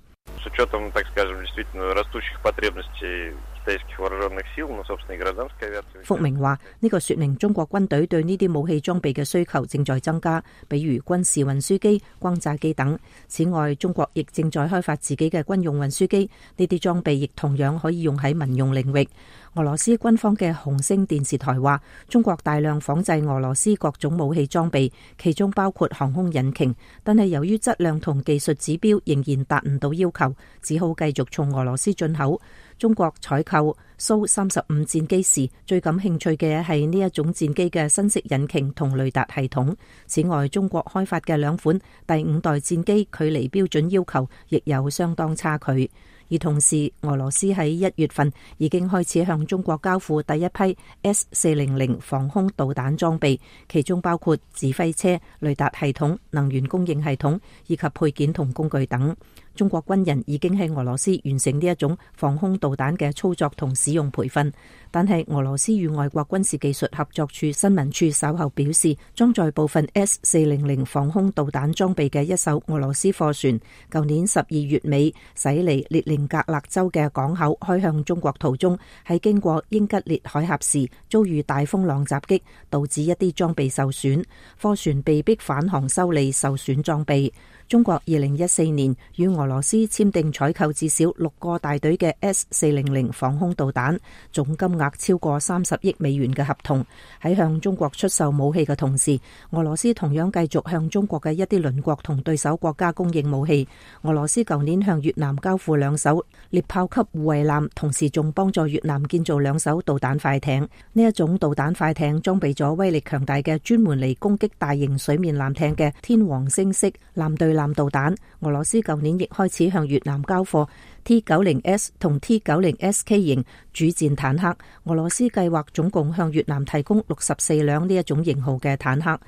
福明話，呢個說明中國軍隊對呢啲武器裝備嘅需求正在增加，比如軍事運輸機、轟炸機等。此外，中國亦正在開發自己嘅軍用運輸機，呢啲裝備亦同樣可以用喺民用領域。俄羅斯軍方嘅紅星電視台話，中國大量仿製俄羅斯各種武器裝備，其中包括航空引擎，但係由於質量同技術指標仍然達唔到要求，只好繼續從俄羅斯進口。中國採購蘇三十五戰機時，最感興趣嘅係呢一種戰機嘅新式引擎同雷達系統。此外，中國開發嘅兩款第五代戰機距離標準要求亦有相當差距。而同時，俄羅斯喺一月份已經開始向中國交付第一批 S 四百防空導彈裝備，其中包括指揮車、雷達系統、能源供應系統以及配件同工具等。中國軍人已經喺俄羅斯完成呢一種防空導彈嘅操作同使用培訓，但係俄羅斯與外國軍事技術合作處新聞處稍後表示，裝載部分 S 四百防空導彈裝備嘅一艘俄羅斯貨船，舊年十二月尾駛離列寧格勒州嘅港口開向中國途中，喺經過英吉列海峽時遭遇大風浪襲擊，導致一啲裝備受損，貨船被迫返航修理受損裝備。中國二零一四年與俄羅斯簽訂採購至少六個大隊嘅 S 四百防空導彈，總金額超過三十億美元嘅合同。喺向中國出售武器嘅同時，俄羅斯同樣繼續向中國嘅一啲鄰國同對手國家供應武器。俄羅斯舊年向越南交付兩艘獵豹級護衛艦，同時仲幫助越南建造兩艘導彈快艇。呢一種導彈快艇裝備咗威力強大嘅專門嚟攻擊大型水面艦艇嘅天王星式艦隊艦導彈。俄羅斯舊年亦開始向越南交貨 T 九十 S 同 T 九十 S K 型主戰坦克。俄羅斯計劃總共向越南提供六十四輛呢一種型號嘅坦克。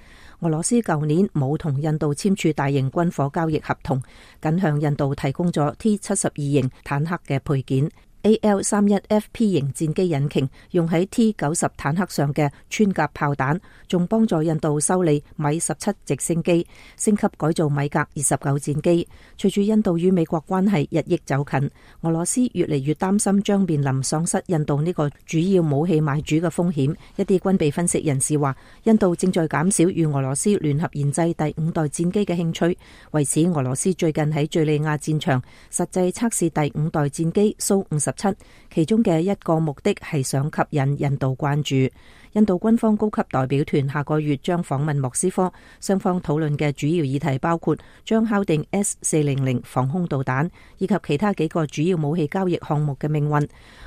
俄羅斯舊年冇同印度簽署大型軍火交易合同，僅向印度提供咗 T 七十二型坦克嘅配件。A L 三十一 F P 型戰機引擎用喺 T 九十坦克上嘅穿甲炮彈，仲幫助印度修理米十七直升機，升級改造米格二十九戰機。隨住印度與美國關係日益走近，俄羅斯越嚟越擔心將面臨喪失印度呢個主要武器買主嘅風險。一啲軍備分析人士話，印度正在減少與俄羅斯聯合研製第五代戰機嘅興趣。為此，俄羅斯最近喺敘利亞戰場實際測試第五代戰機蘇五十七，其中嘅一個目的係想吸引印度關注。印度軍方高級代表團下個月將訪問莫斯科，雙方討論嘅主要議題包括將敲定 S 四百防空導彈以及其他幾個主要武器交易項目嘅命運。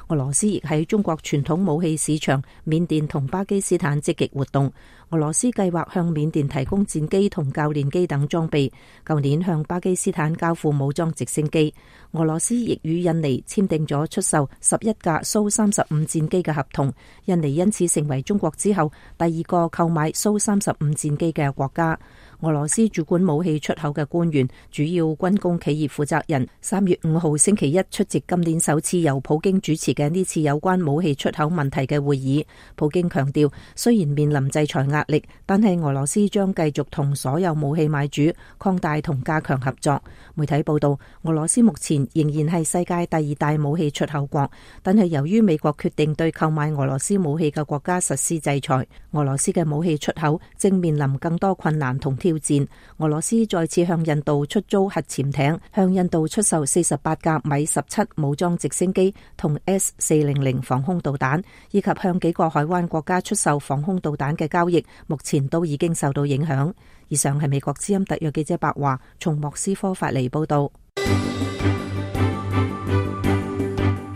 俄羅斯亦喺中國傳統武器市場緬甸同巴基斯坦積極活動。俄羅斯計劃向緬甸提供戰機同教練機等裝備，舊年向巴基斯坦交付武裝直升機。俄羅斯亦與印尼簽訂咗出售十一架蘇三十五戰機嘅合同，印尼因此成為中國之後第二個購買蘇三十五戰機嘅國家。俄羅斯主管武器出口嘅官員、主要軍工企業負責人三月五號星期一出席今年首次由普京主持嘅呢次有關武器出口問題嘅會議。普京強調，雖然面臨制裁壓力，但係俄羅斯將繼續同所有武器買主擴大同加強合作。媒體報道，俄羅斯目前仍然係世界第二大武器出口國，但係由於美國決定對購買俄羅斯武器嘅國家實施制裁，俄羅斯嘅武器出口正面臨更多困難同挑戰。俄羅斯再次向印度出租核潛艇，向印度出售四十八架米十七武裝直升機同 S 四百防空導彈，以及向幾個海灣國家出售防空導彈嘅交易，目前都已經受到影響。以上係美國之音特約記者白華從莫斯科發嚟報道。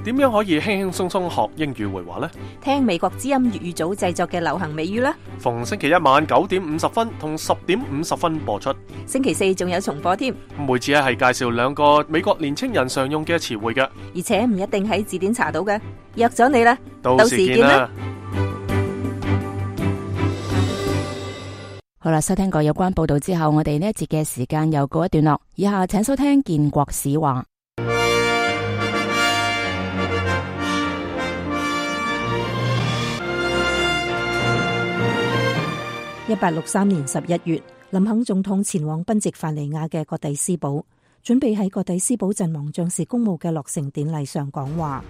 點樣可以輕輕鬆鬆學英語會話呢？聽美國之音粵語組製作嘅流行美語啦！逢星期一晚九點五十分同十點五十分播出，星期四仲有重播添。每次咧係介紹兩個美國年青人常用嘅詞彙嘅，而且唔一定喺字典查到嘅。約咗你啦，到時見啦！好啦，收聽過有關報道之後，我哋呢一節嘅時間又告一段落。以下請收聽建國史話。一八六三年十一月，林肯總統前往賓夕凡尼亞嘅葛蒂斯堡，準備喺葛蒂斯堡陣亡將士公墓嘅落成典禮上講話。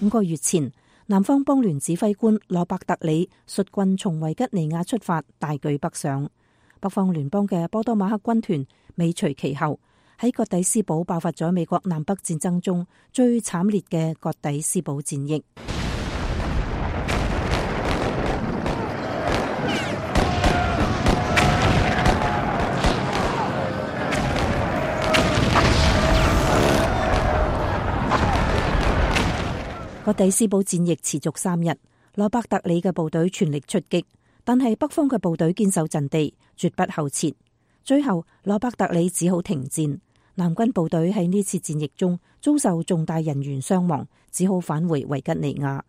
五個月前，南方邦聯指揮官羅伯特里率軍從維吉尼亞出發，大舉北上。北方聯邦嘅波多馬克軍團尾隨其後，喺葛蒂斯堡爆發咗美國南北戰爭中最慘烈嘅葛蒂斯堡戰役。葛蒂斯堡戰役持續三日，羅伯特里嘅部隊全力出擊，但係北方嘅部隊堅守陣地，絕不後撤。最後，羅伯特里只好停戰。南軍部隊喺呢次戰役中遭受重大人員傷亡，只好返回維吉尼亞。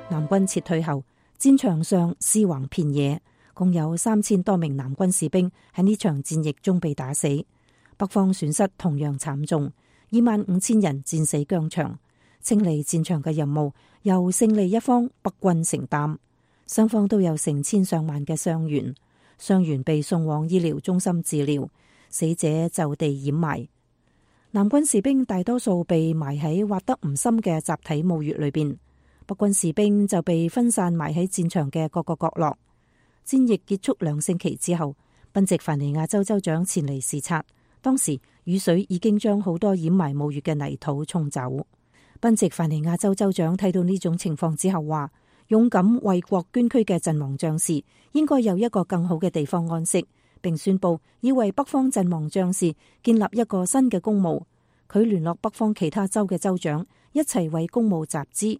南軍撤退後，戰場上屍橫遍野，共有三千多名南軍士兵喺呢場戰役中被打死。北方損失同樣慘重，二萬五千人戰死疆場。清理戰場嘅任務由勝利一方北軍承擔，雙方都有成千上萬嘅傷員，傷員被送往醫療中心治療，死者就地掩埋。南軍士兵大多數被埋喺挖得唔深嘅集體墓穴裏邊。北軍士兵就被分散埋喺戰場嘅各個角落。戰役結束兩星期之後，賓夕凡尼亞州州長前嚟視察，當時雨水已經將好多掩埋墓穴嘅泥土沖走。賓夕凡尼亞州州長睇到呢種情況之後話，勇敢為國捐軀嘅陣亡將士應該有一個更好嘅地方安息，並宣布要為北方陣亡將士建立一個新嘅公墓。佢聯絡北方其他州嘅州長，一齊為公墓集資。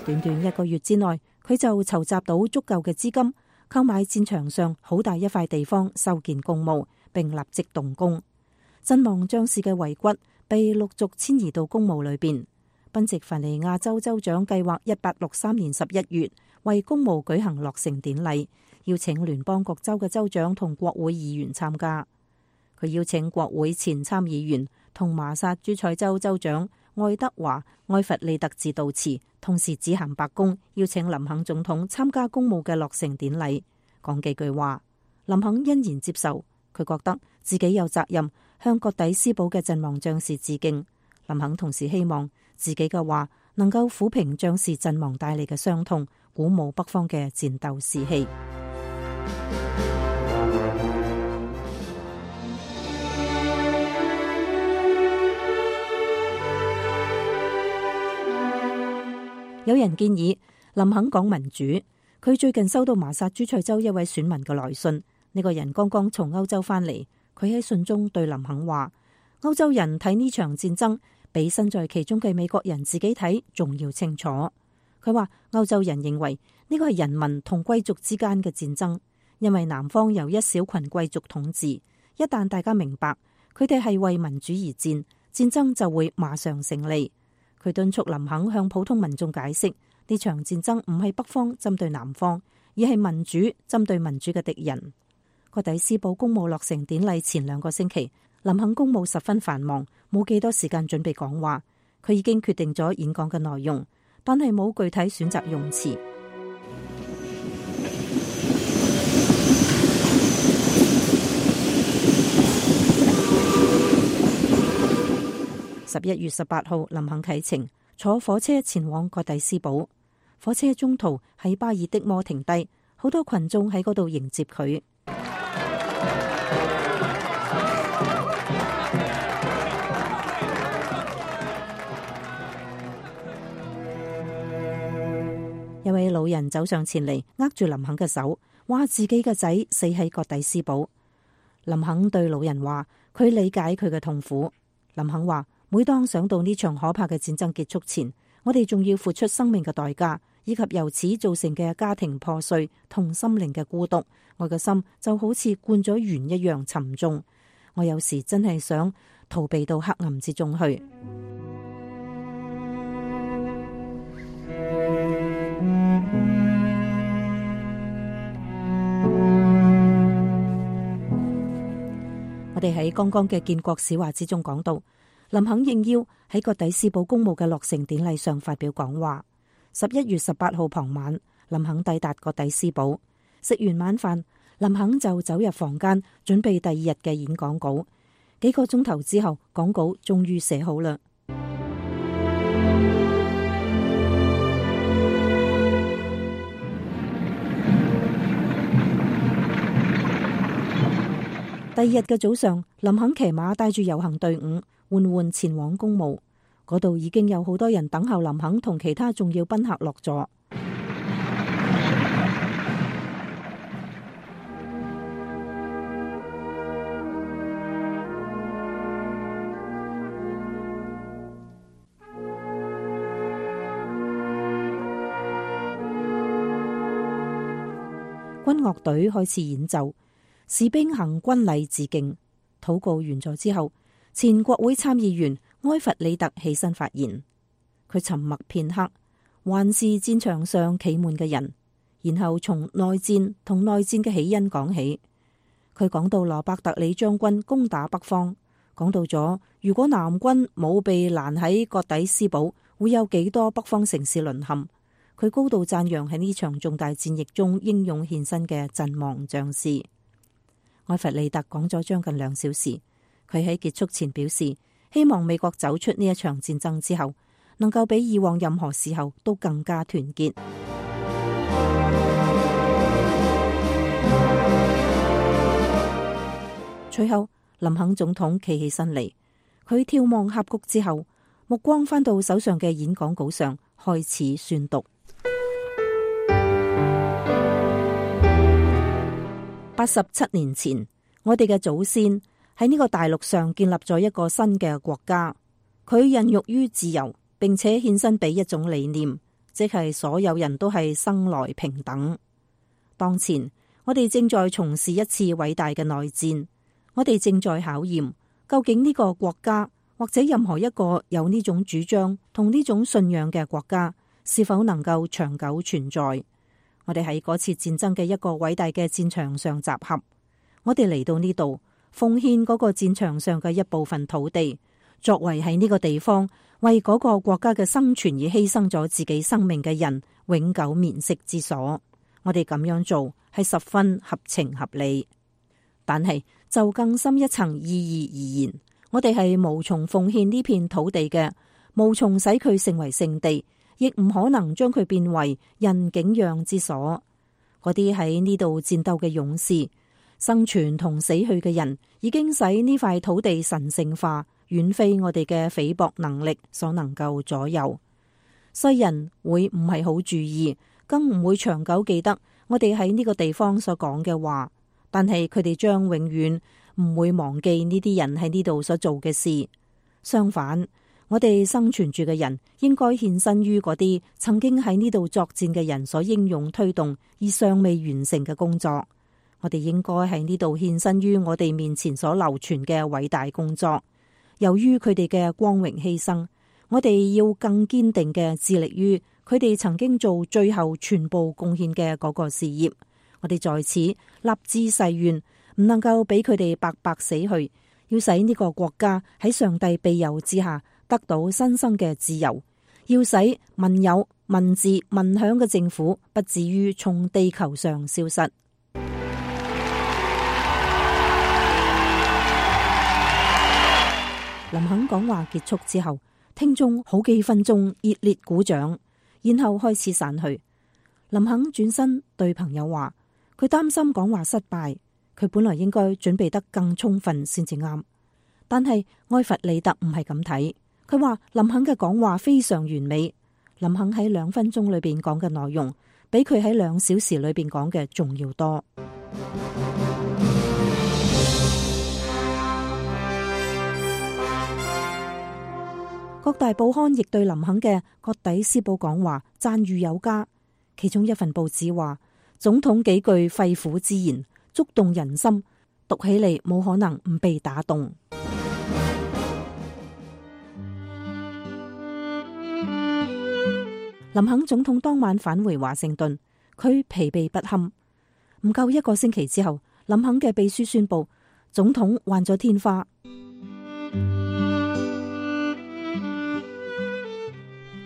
短短一個月之內，佢就籌集到足夠嘅資金，購買戰場上好大一塊地方，修建公墓，並立即動工。陣亡將士嘅遺骨被陸續遷移到公墓裏邊。賓夕凡尼亞州州長計劃一八六三年十一月為公墓舉行落成典禮，邀請聯邦各州嘅州長同國會議員參加。佢邀請國會前參議員同麻薩諸塞州州長愛德華埃弗利特致悼詞，同時致函白宮，邀請林肯總統參加公墓嘅落成典禮，講幾句話。林肯欣然接受，佢覺得自己有責任向葛底斯堡嘅陣亡將士致敬。林肯同時希望自己嘅話能夠撫平將士陣亡帶嚟嘅傷痛，鼓舞北方嘅戰鬥士氣。有人建議林肯講民主。佢最近收到麻薩諸塞州一位選民嘅來信，呢個人剛剛從歐洲翻嚟。佢喺信中對林肯話：歐洲人睇呢場戰爭比身在其中嘅美國人自己睇仲要清楚。佢話歐洲人認為呢個係人民同貴族之間嘅戰爭，因為南方由一小群貴族統治。一旦大家明白佢哋係為民主而戰，戰爭就會馬上勝利。佢敦促林肯向普通民眾解釋，呢場戰爭唔係北方針對南方，而係民主針對民主嘅敵人。葛底斯堡公墓落成典禮前兩個星期，林肯公務十分繁忙，冇幾多時間準備講話。佢已經決定咗演講嘅內容，但係冇具體選擇用詞。十一月十八號，林肯啟程，坐火車前往葛底斯堡。火車中途喺巴爾的摩停低，好多群眾喺嗰度迎接佢。一位老人走上前嚟，握住林肯嘅手，話自己嘅仔死喺葛底斯堡。林肯對老人話，佢理解佢嘅痛苦。林肯話，每當想到呢場可怕嘅戰爭結束前，我哋仲要付出生命嘅代價，以及由此造成嘅家庭破碎同心靈嘅孤獨，我嘅心就好似灌咗鉛一樣沉重。我有時真係想逃避到黑暗之中去。我哋喺剛剛嘅建國史話之中講到，林肯應邀喺葛底斯堡公墓嘅落成典禮上發表講話。十一月十八號傍晚，林肯抵達葛底斯堡，食完晚飯，林肯就走入房間準備第二日嘅演講稿。幾個鐘頭之後，講稿終於寫好啦。第二日嘅早上，林肯騎馬帶住遊行隊伍緩緩前往公墓，嗰度已經有好多人等候林肯同其他重要賓客落座。軍樂隊開始演奏，士兵行軍禮致敬。禱告完咗之後，前國會參議員埃弗里特起身發言。佢沉默片刻，環視戰場上企滿嘅人，然後從內戰同內戰嘅起因講起。佢講到羅伯特里將軍攻打北方，講到咗如果南軍冇被攔喺葛底斯堡，會有幾多北方城市淪陷。佢高度讚揚喺呢場重大戰役中英勇獻身嘅陣亡將士。埃弗里特講咗將近兩小時，佢喺結束前表示，希望美國走出呢一場戰爭之後，能夠比以往任何時候都更加團結。隨後林肯總統企起身嚟，佢眺望峽谷之後，目光翻到手上嘅演講稿上，開始宣讀。八十七年前，我哋嘅祖先喺呢個大陸上建立咗一個新嘅國家，佢孕育於自由，並且獻身俾一種理念，即係所有人都係生來平等。當前我哋正在從事一次偉大嘅內戰，我哋正在考驗究竟呢個國家或者任何一個有呢種主張同呢種信仰嘅國家是否能夠長久存在。我哋喺嗰次戰爭嘅一個偉大嘅戰場上集合，我哋嚟到呢度奉獻嗰個戰場上嘅一部分土地，作為喺呢個地方為嗰個國家嘅生存而犧牲咗自己生命嘅人永久眠息之所。我哋咁樣做係十分合情合理，但係就更深一層意義而言，我哋係無從奉獻呢片土地嘅，無從使佢成為聖地，亦唔可能將佢變為人景仰之所。嗰啲喺呢度戰鬥嘅勇士，生存同死去嘅人，已經使呢塊土地神聖化，遠非我哋嘅菲薄能力所能夠左右。世人會唔係好注意，更唔會長久記得我哋喺呢個地方所講嘅話，但係佢哋將永遠唔會忘記呢啲人喺呢度所做嘅事。相反，我哋生存住嘅人應該獻身於嗰啲曾經喺呢度作戰嘅人所英勇推動而尚未完成嘅工作。我哋應該喺呢度獻身於我哋面前所流傳嘅偉大工作。由於佢哋嘅光榮犧牲，我哋要更堅定嘅致力於佢哋曾經做最後全部貢獻嘅嗰個事業。我哋在此立志誓願，唔能夠俾佢哋白白死去，要使呢個國家喺上帝庇佑之下得到新生嘅自由，要使民有、民治、民享嘅政府不至於從地球上消失。林肯講話結束之後，聽眾好幾分鐘熱烈鼓掌，然後開始散去。林肯轉身對朋友話，佢擔心講話失敗，佢本來應該準備得更充分先至啱。但係埃弗里特唔係咁睇，佢話林肯嘅講話非常完美。林肯喺兩分鐘裏邊講嘅內容，比佢喺兩小時裏邊講嘅仲要多。各大報刊亦對林肯嘅葛底斯堡講話讚譽有加，其中一份報紙話，總統幾句肺腑之言觸動人心，讀起嚟冇可能唔被打動。林肯總統當晚返回華盛頓，佢疲憊不堪。唔夠一個星期之後，林肯嘅秘書宣布總統患咗天花。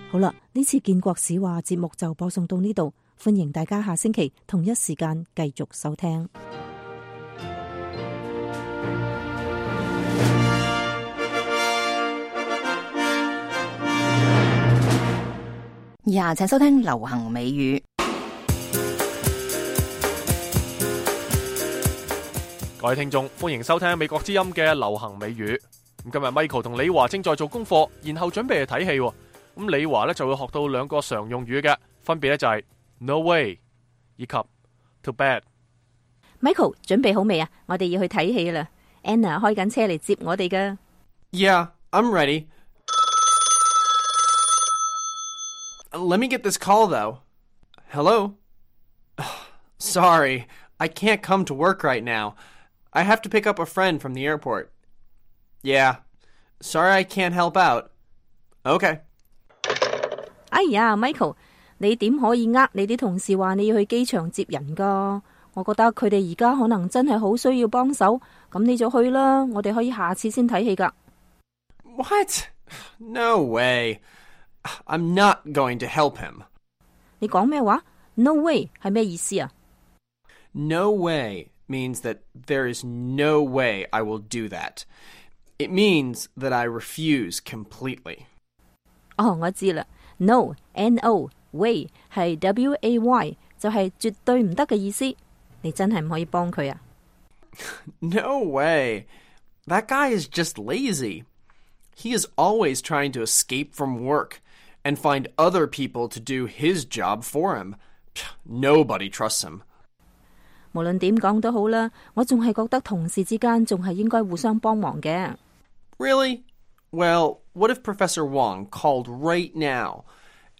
好啦，呢次建國史話節目就播送到呢度，歡迎大家下星期同一時間繼續收聽。以下請收聽流行美語。各位聽眾，歡迎收聽美國之音嘅流行美語。咁今日 Michael 同李華正在做功課，然後準備去睇戲。咁李華咧就會學到兩個常用語嘅，分別咧就係 no way 以及 too bad。Michael 準備好未啊？我哋要去睇戲啦。Anna 開緊車嚟接我哋噶。Yeah, I'm ready. Let me get this call though. Hello? Sorry, I can't come to work right now. I have to pick up a friend from the airport. Yeah, sorry I can't help out. Okay.哎呀 ，Michael， 你點可以呃你啲同事話你要去機場接人噶？我覺得佢哋而家可能真係好需要幫手，咁你就去啦。我哋可以下次先睇戲噶。What? No way. I'm not going to help him. 你講咩話 ？No way 係咩意思啊 ？No way means that there is no way I will do that. It means that I refuse completely. 哦，我知啦。No, N O, way 係 W A Y， 就係絕對唔得嘅意思。你真係唔可以幫佢啊 No way. That guy is just lazy. He is always trying to escape from work and find other people to do his job for him. Nobody trusts him. 無論點講都好啦，我仲係覺得同事之間仲係應該互相幫忙嘅。Really? Well, what if Professor Wong called right now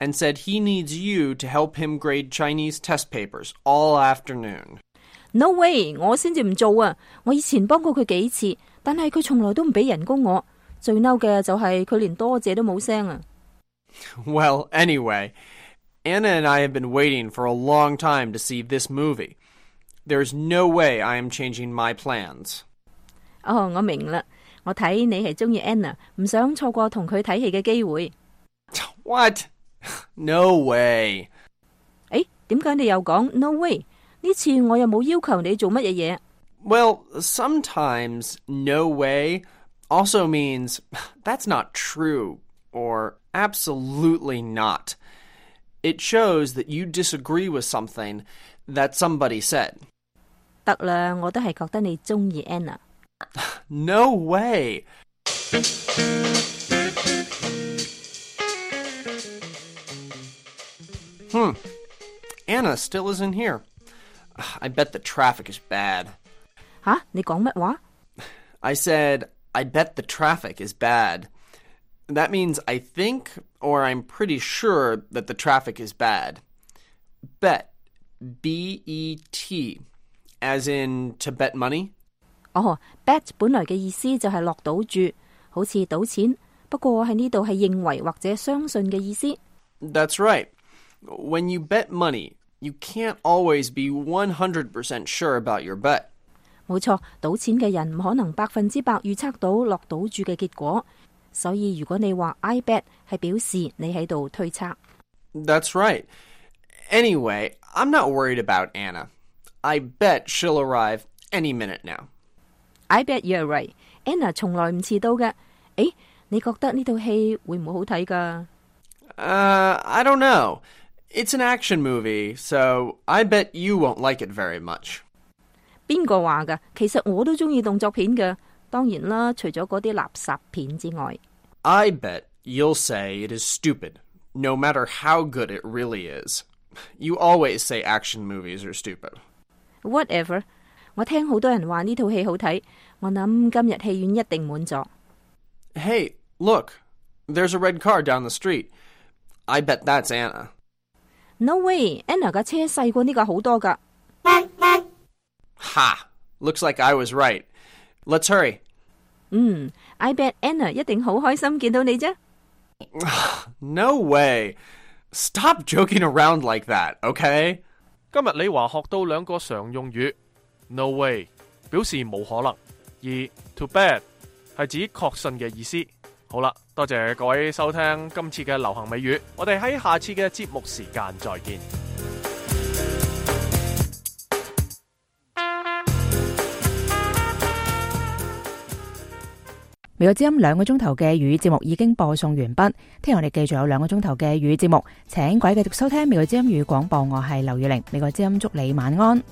and said he needs you to help him grade Chinese test papers all afternoon? No way！ 我先至唔做啊！我以前幫過佢幾次，但係佢從來都唔俾人工我。最嬲嘅就係佢連多謝都冇聲啊！ Well, anyway, Anna and I have been waiting for a long time to see this movie. There's no way I am changing my plans. 哦，我明啦。我睇你係中意 Anna， 唔想錯過同佢睇戲嘅機會。What? No way. 誒，點解你又講 no way？ 呢次我又冇要求你做乜嘢嘢。Well, sometimes no way also means that's not true or absolutely not. It shows that you disagree with something that somebody said. 得啦，我都係覺得你中意 Anna。 No way. Hmm. Anna still isn't here. I bet the traffic is bad. 吓，你講乜話？ I said, I bet the traffic is bad. That means I think or I'm pretty sure that the traffic is bad. Bet. B E T. As in to bet money? 哦 bet 本來嘅意思就係落賭注，好似賭錢，不過喺呢度係認為或者相信嘅意思。 That's right. When you bet money, you can't always be one hundred percent sure about your bet. 冇錯，賭錢嘅人唔可能百分之百預測到落賭注嘅結果，所以如果你話 I bet 係表示你喺度推測。 That's right. Anyway, I'm not worried about Anna. I bet she'll arrive any minute now. I bet you're right. Anna 從來唔遲到嘅。誒，你覺得呢套戲會唔會好睇㗎？ Uh, I don't know. It's an action movie, so I bet you won't like it very much. 邊個話㗎？其實我都中意動作片嘅，當然啦，除咗嗰啲垃圾片之外。 I bet you'll say it is stupid, no matter how good it really is. You always say action movies are stupid. Whatever. 我聽好多人話呢套戲好睇，我諗今日戲院一定滿座。 Hey, look. There's a red car down the street. I bet that's Anna. No way. Anna 架車細過呢架好多㗎。 Ha! Looks like I was right. Let's hurry. 嗯 I bet Anna 一定好開心見到你啫。 No way. Stop joking around like that, okay? 今日李華學到兩個常用語 No way 表示冇可能，而 too bad 係指確信嘅意思。好啦，多謝各位收聽今次嘅流行美語，我哋喺下次嘅節目時間再見。美國之音兩個鐘頭嘅粵語節目已經播送完畢，聽日我哋繼續有兩個鐘頭嘅粵語節目，請各位繼續收聽美國之音粵語廣播，我係劉月玲，美國之音祝你晚安。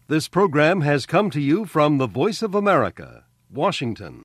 This program has come to you from the Voice of America, Washington.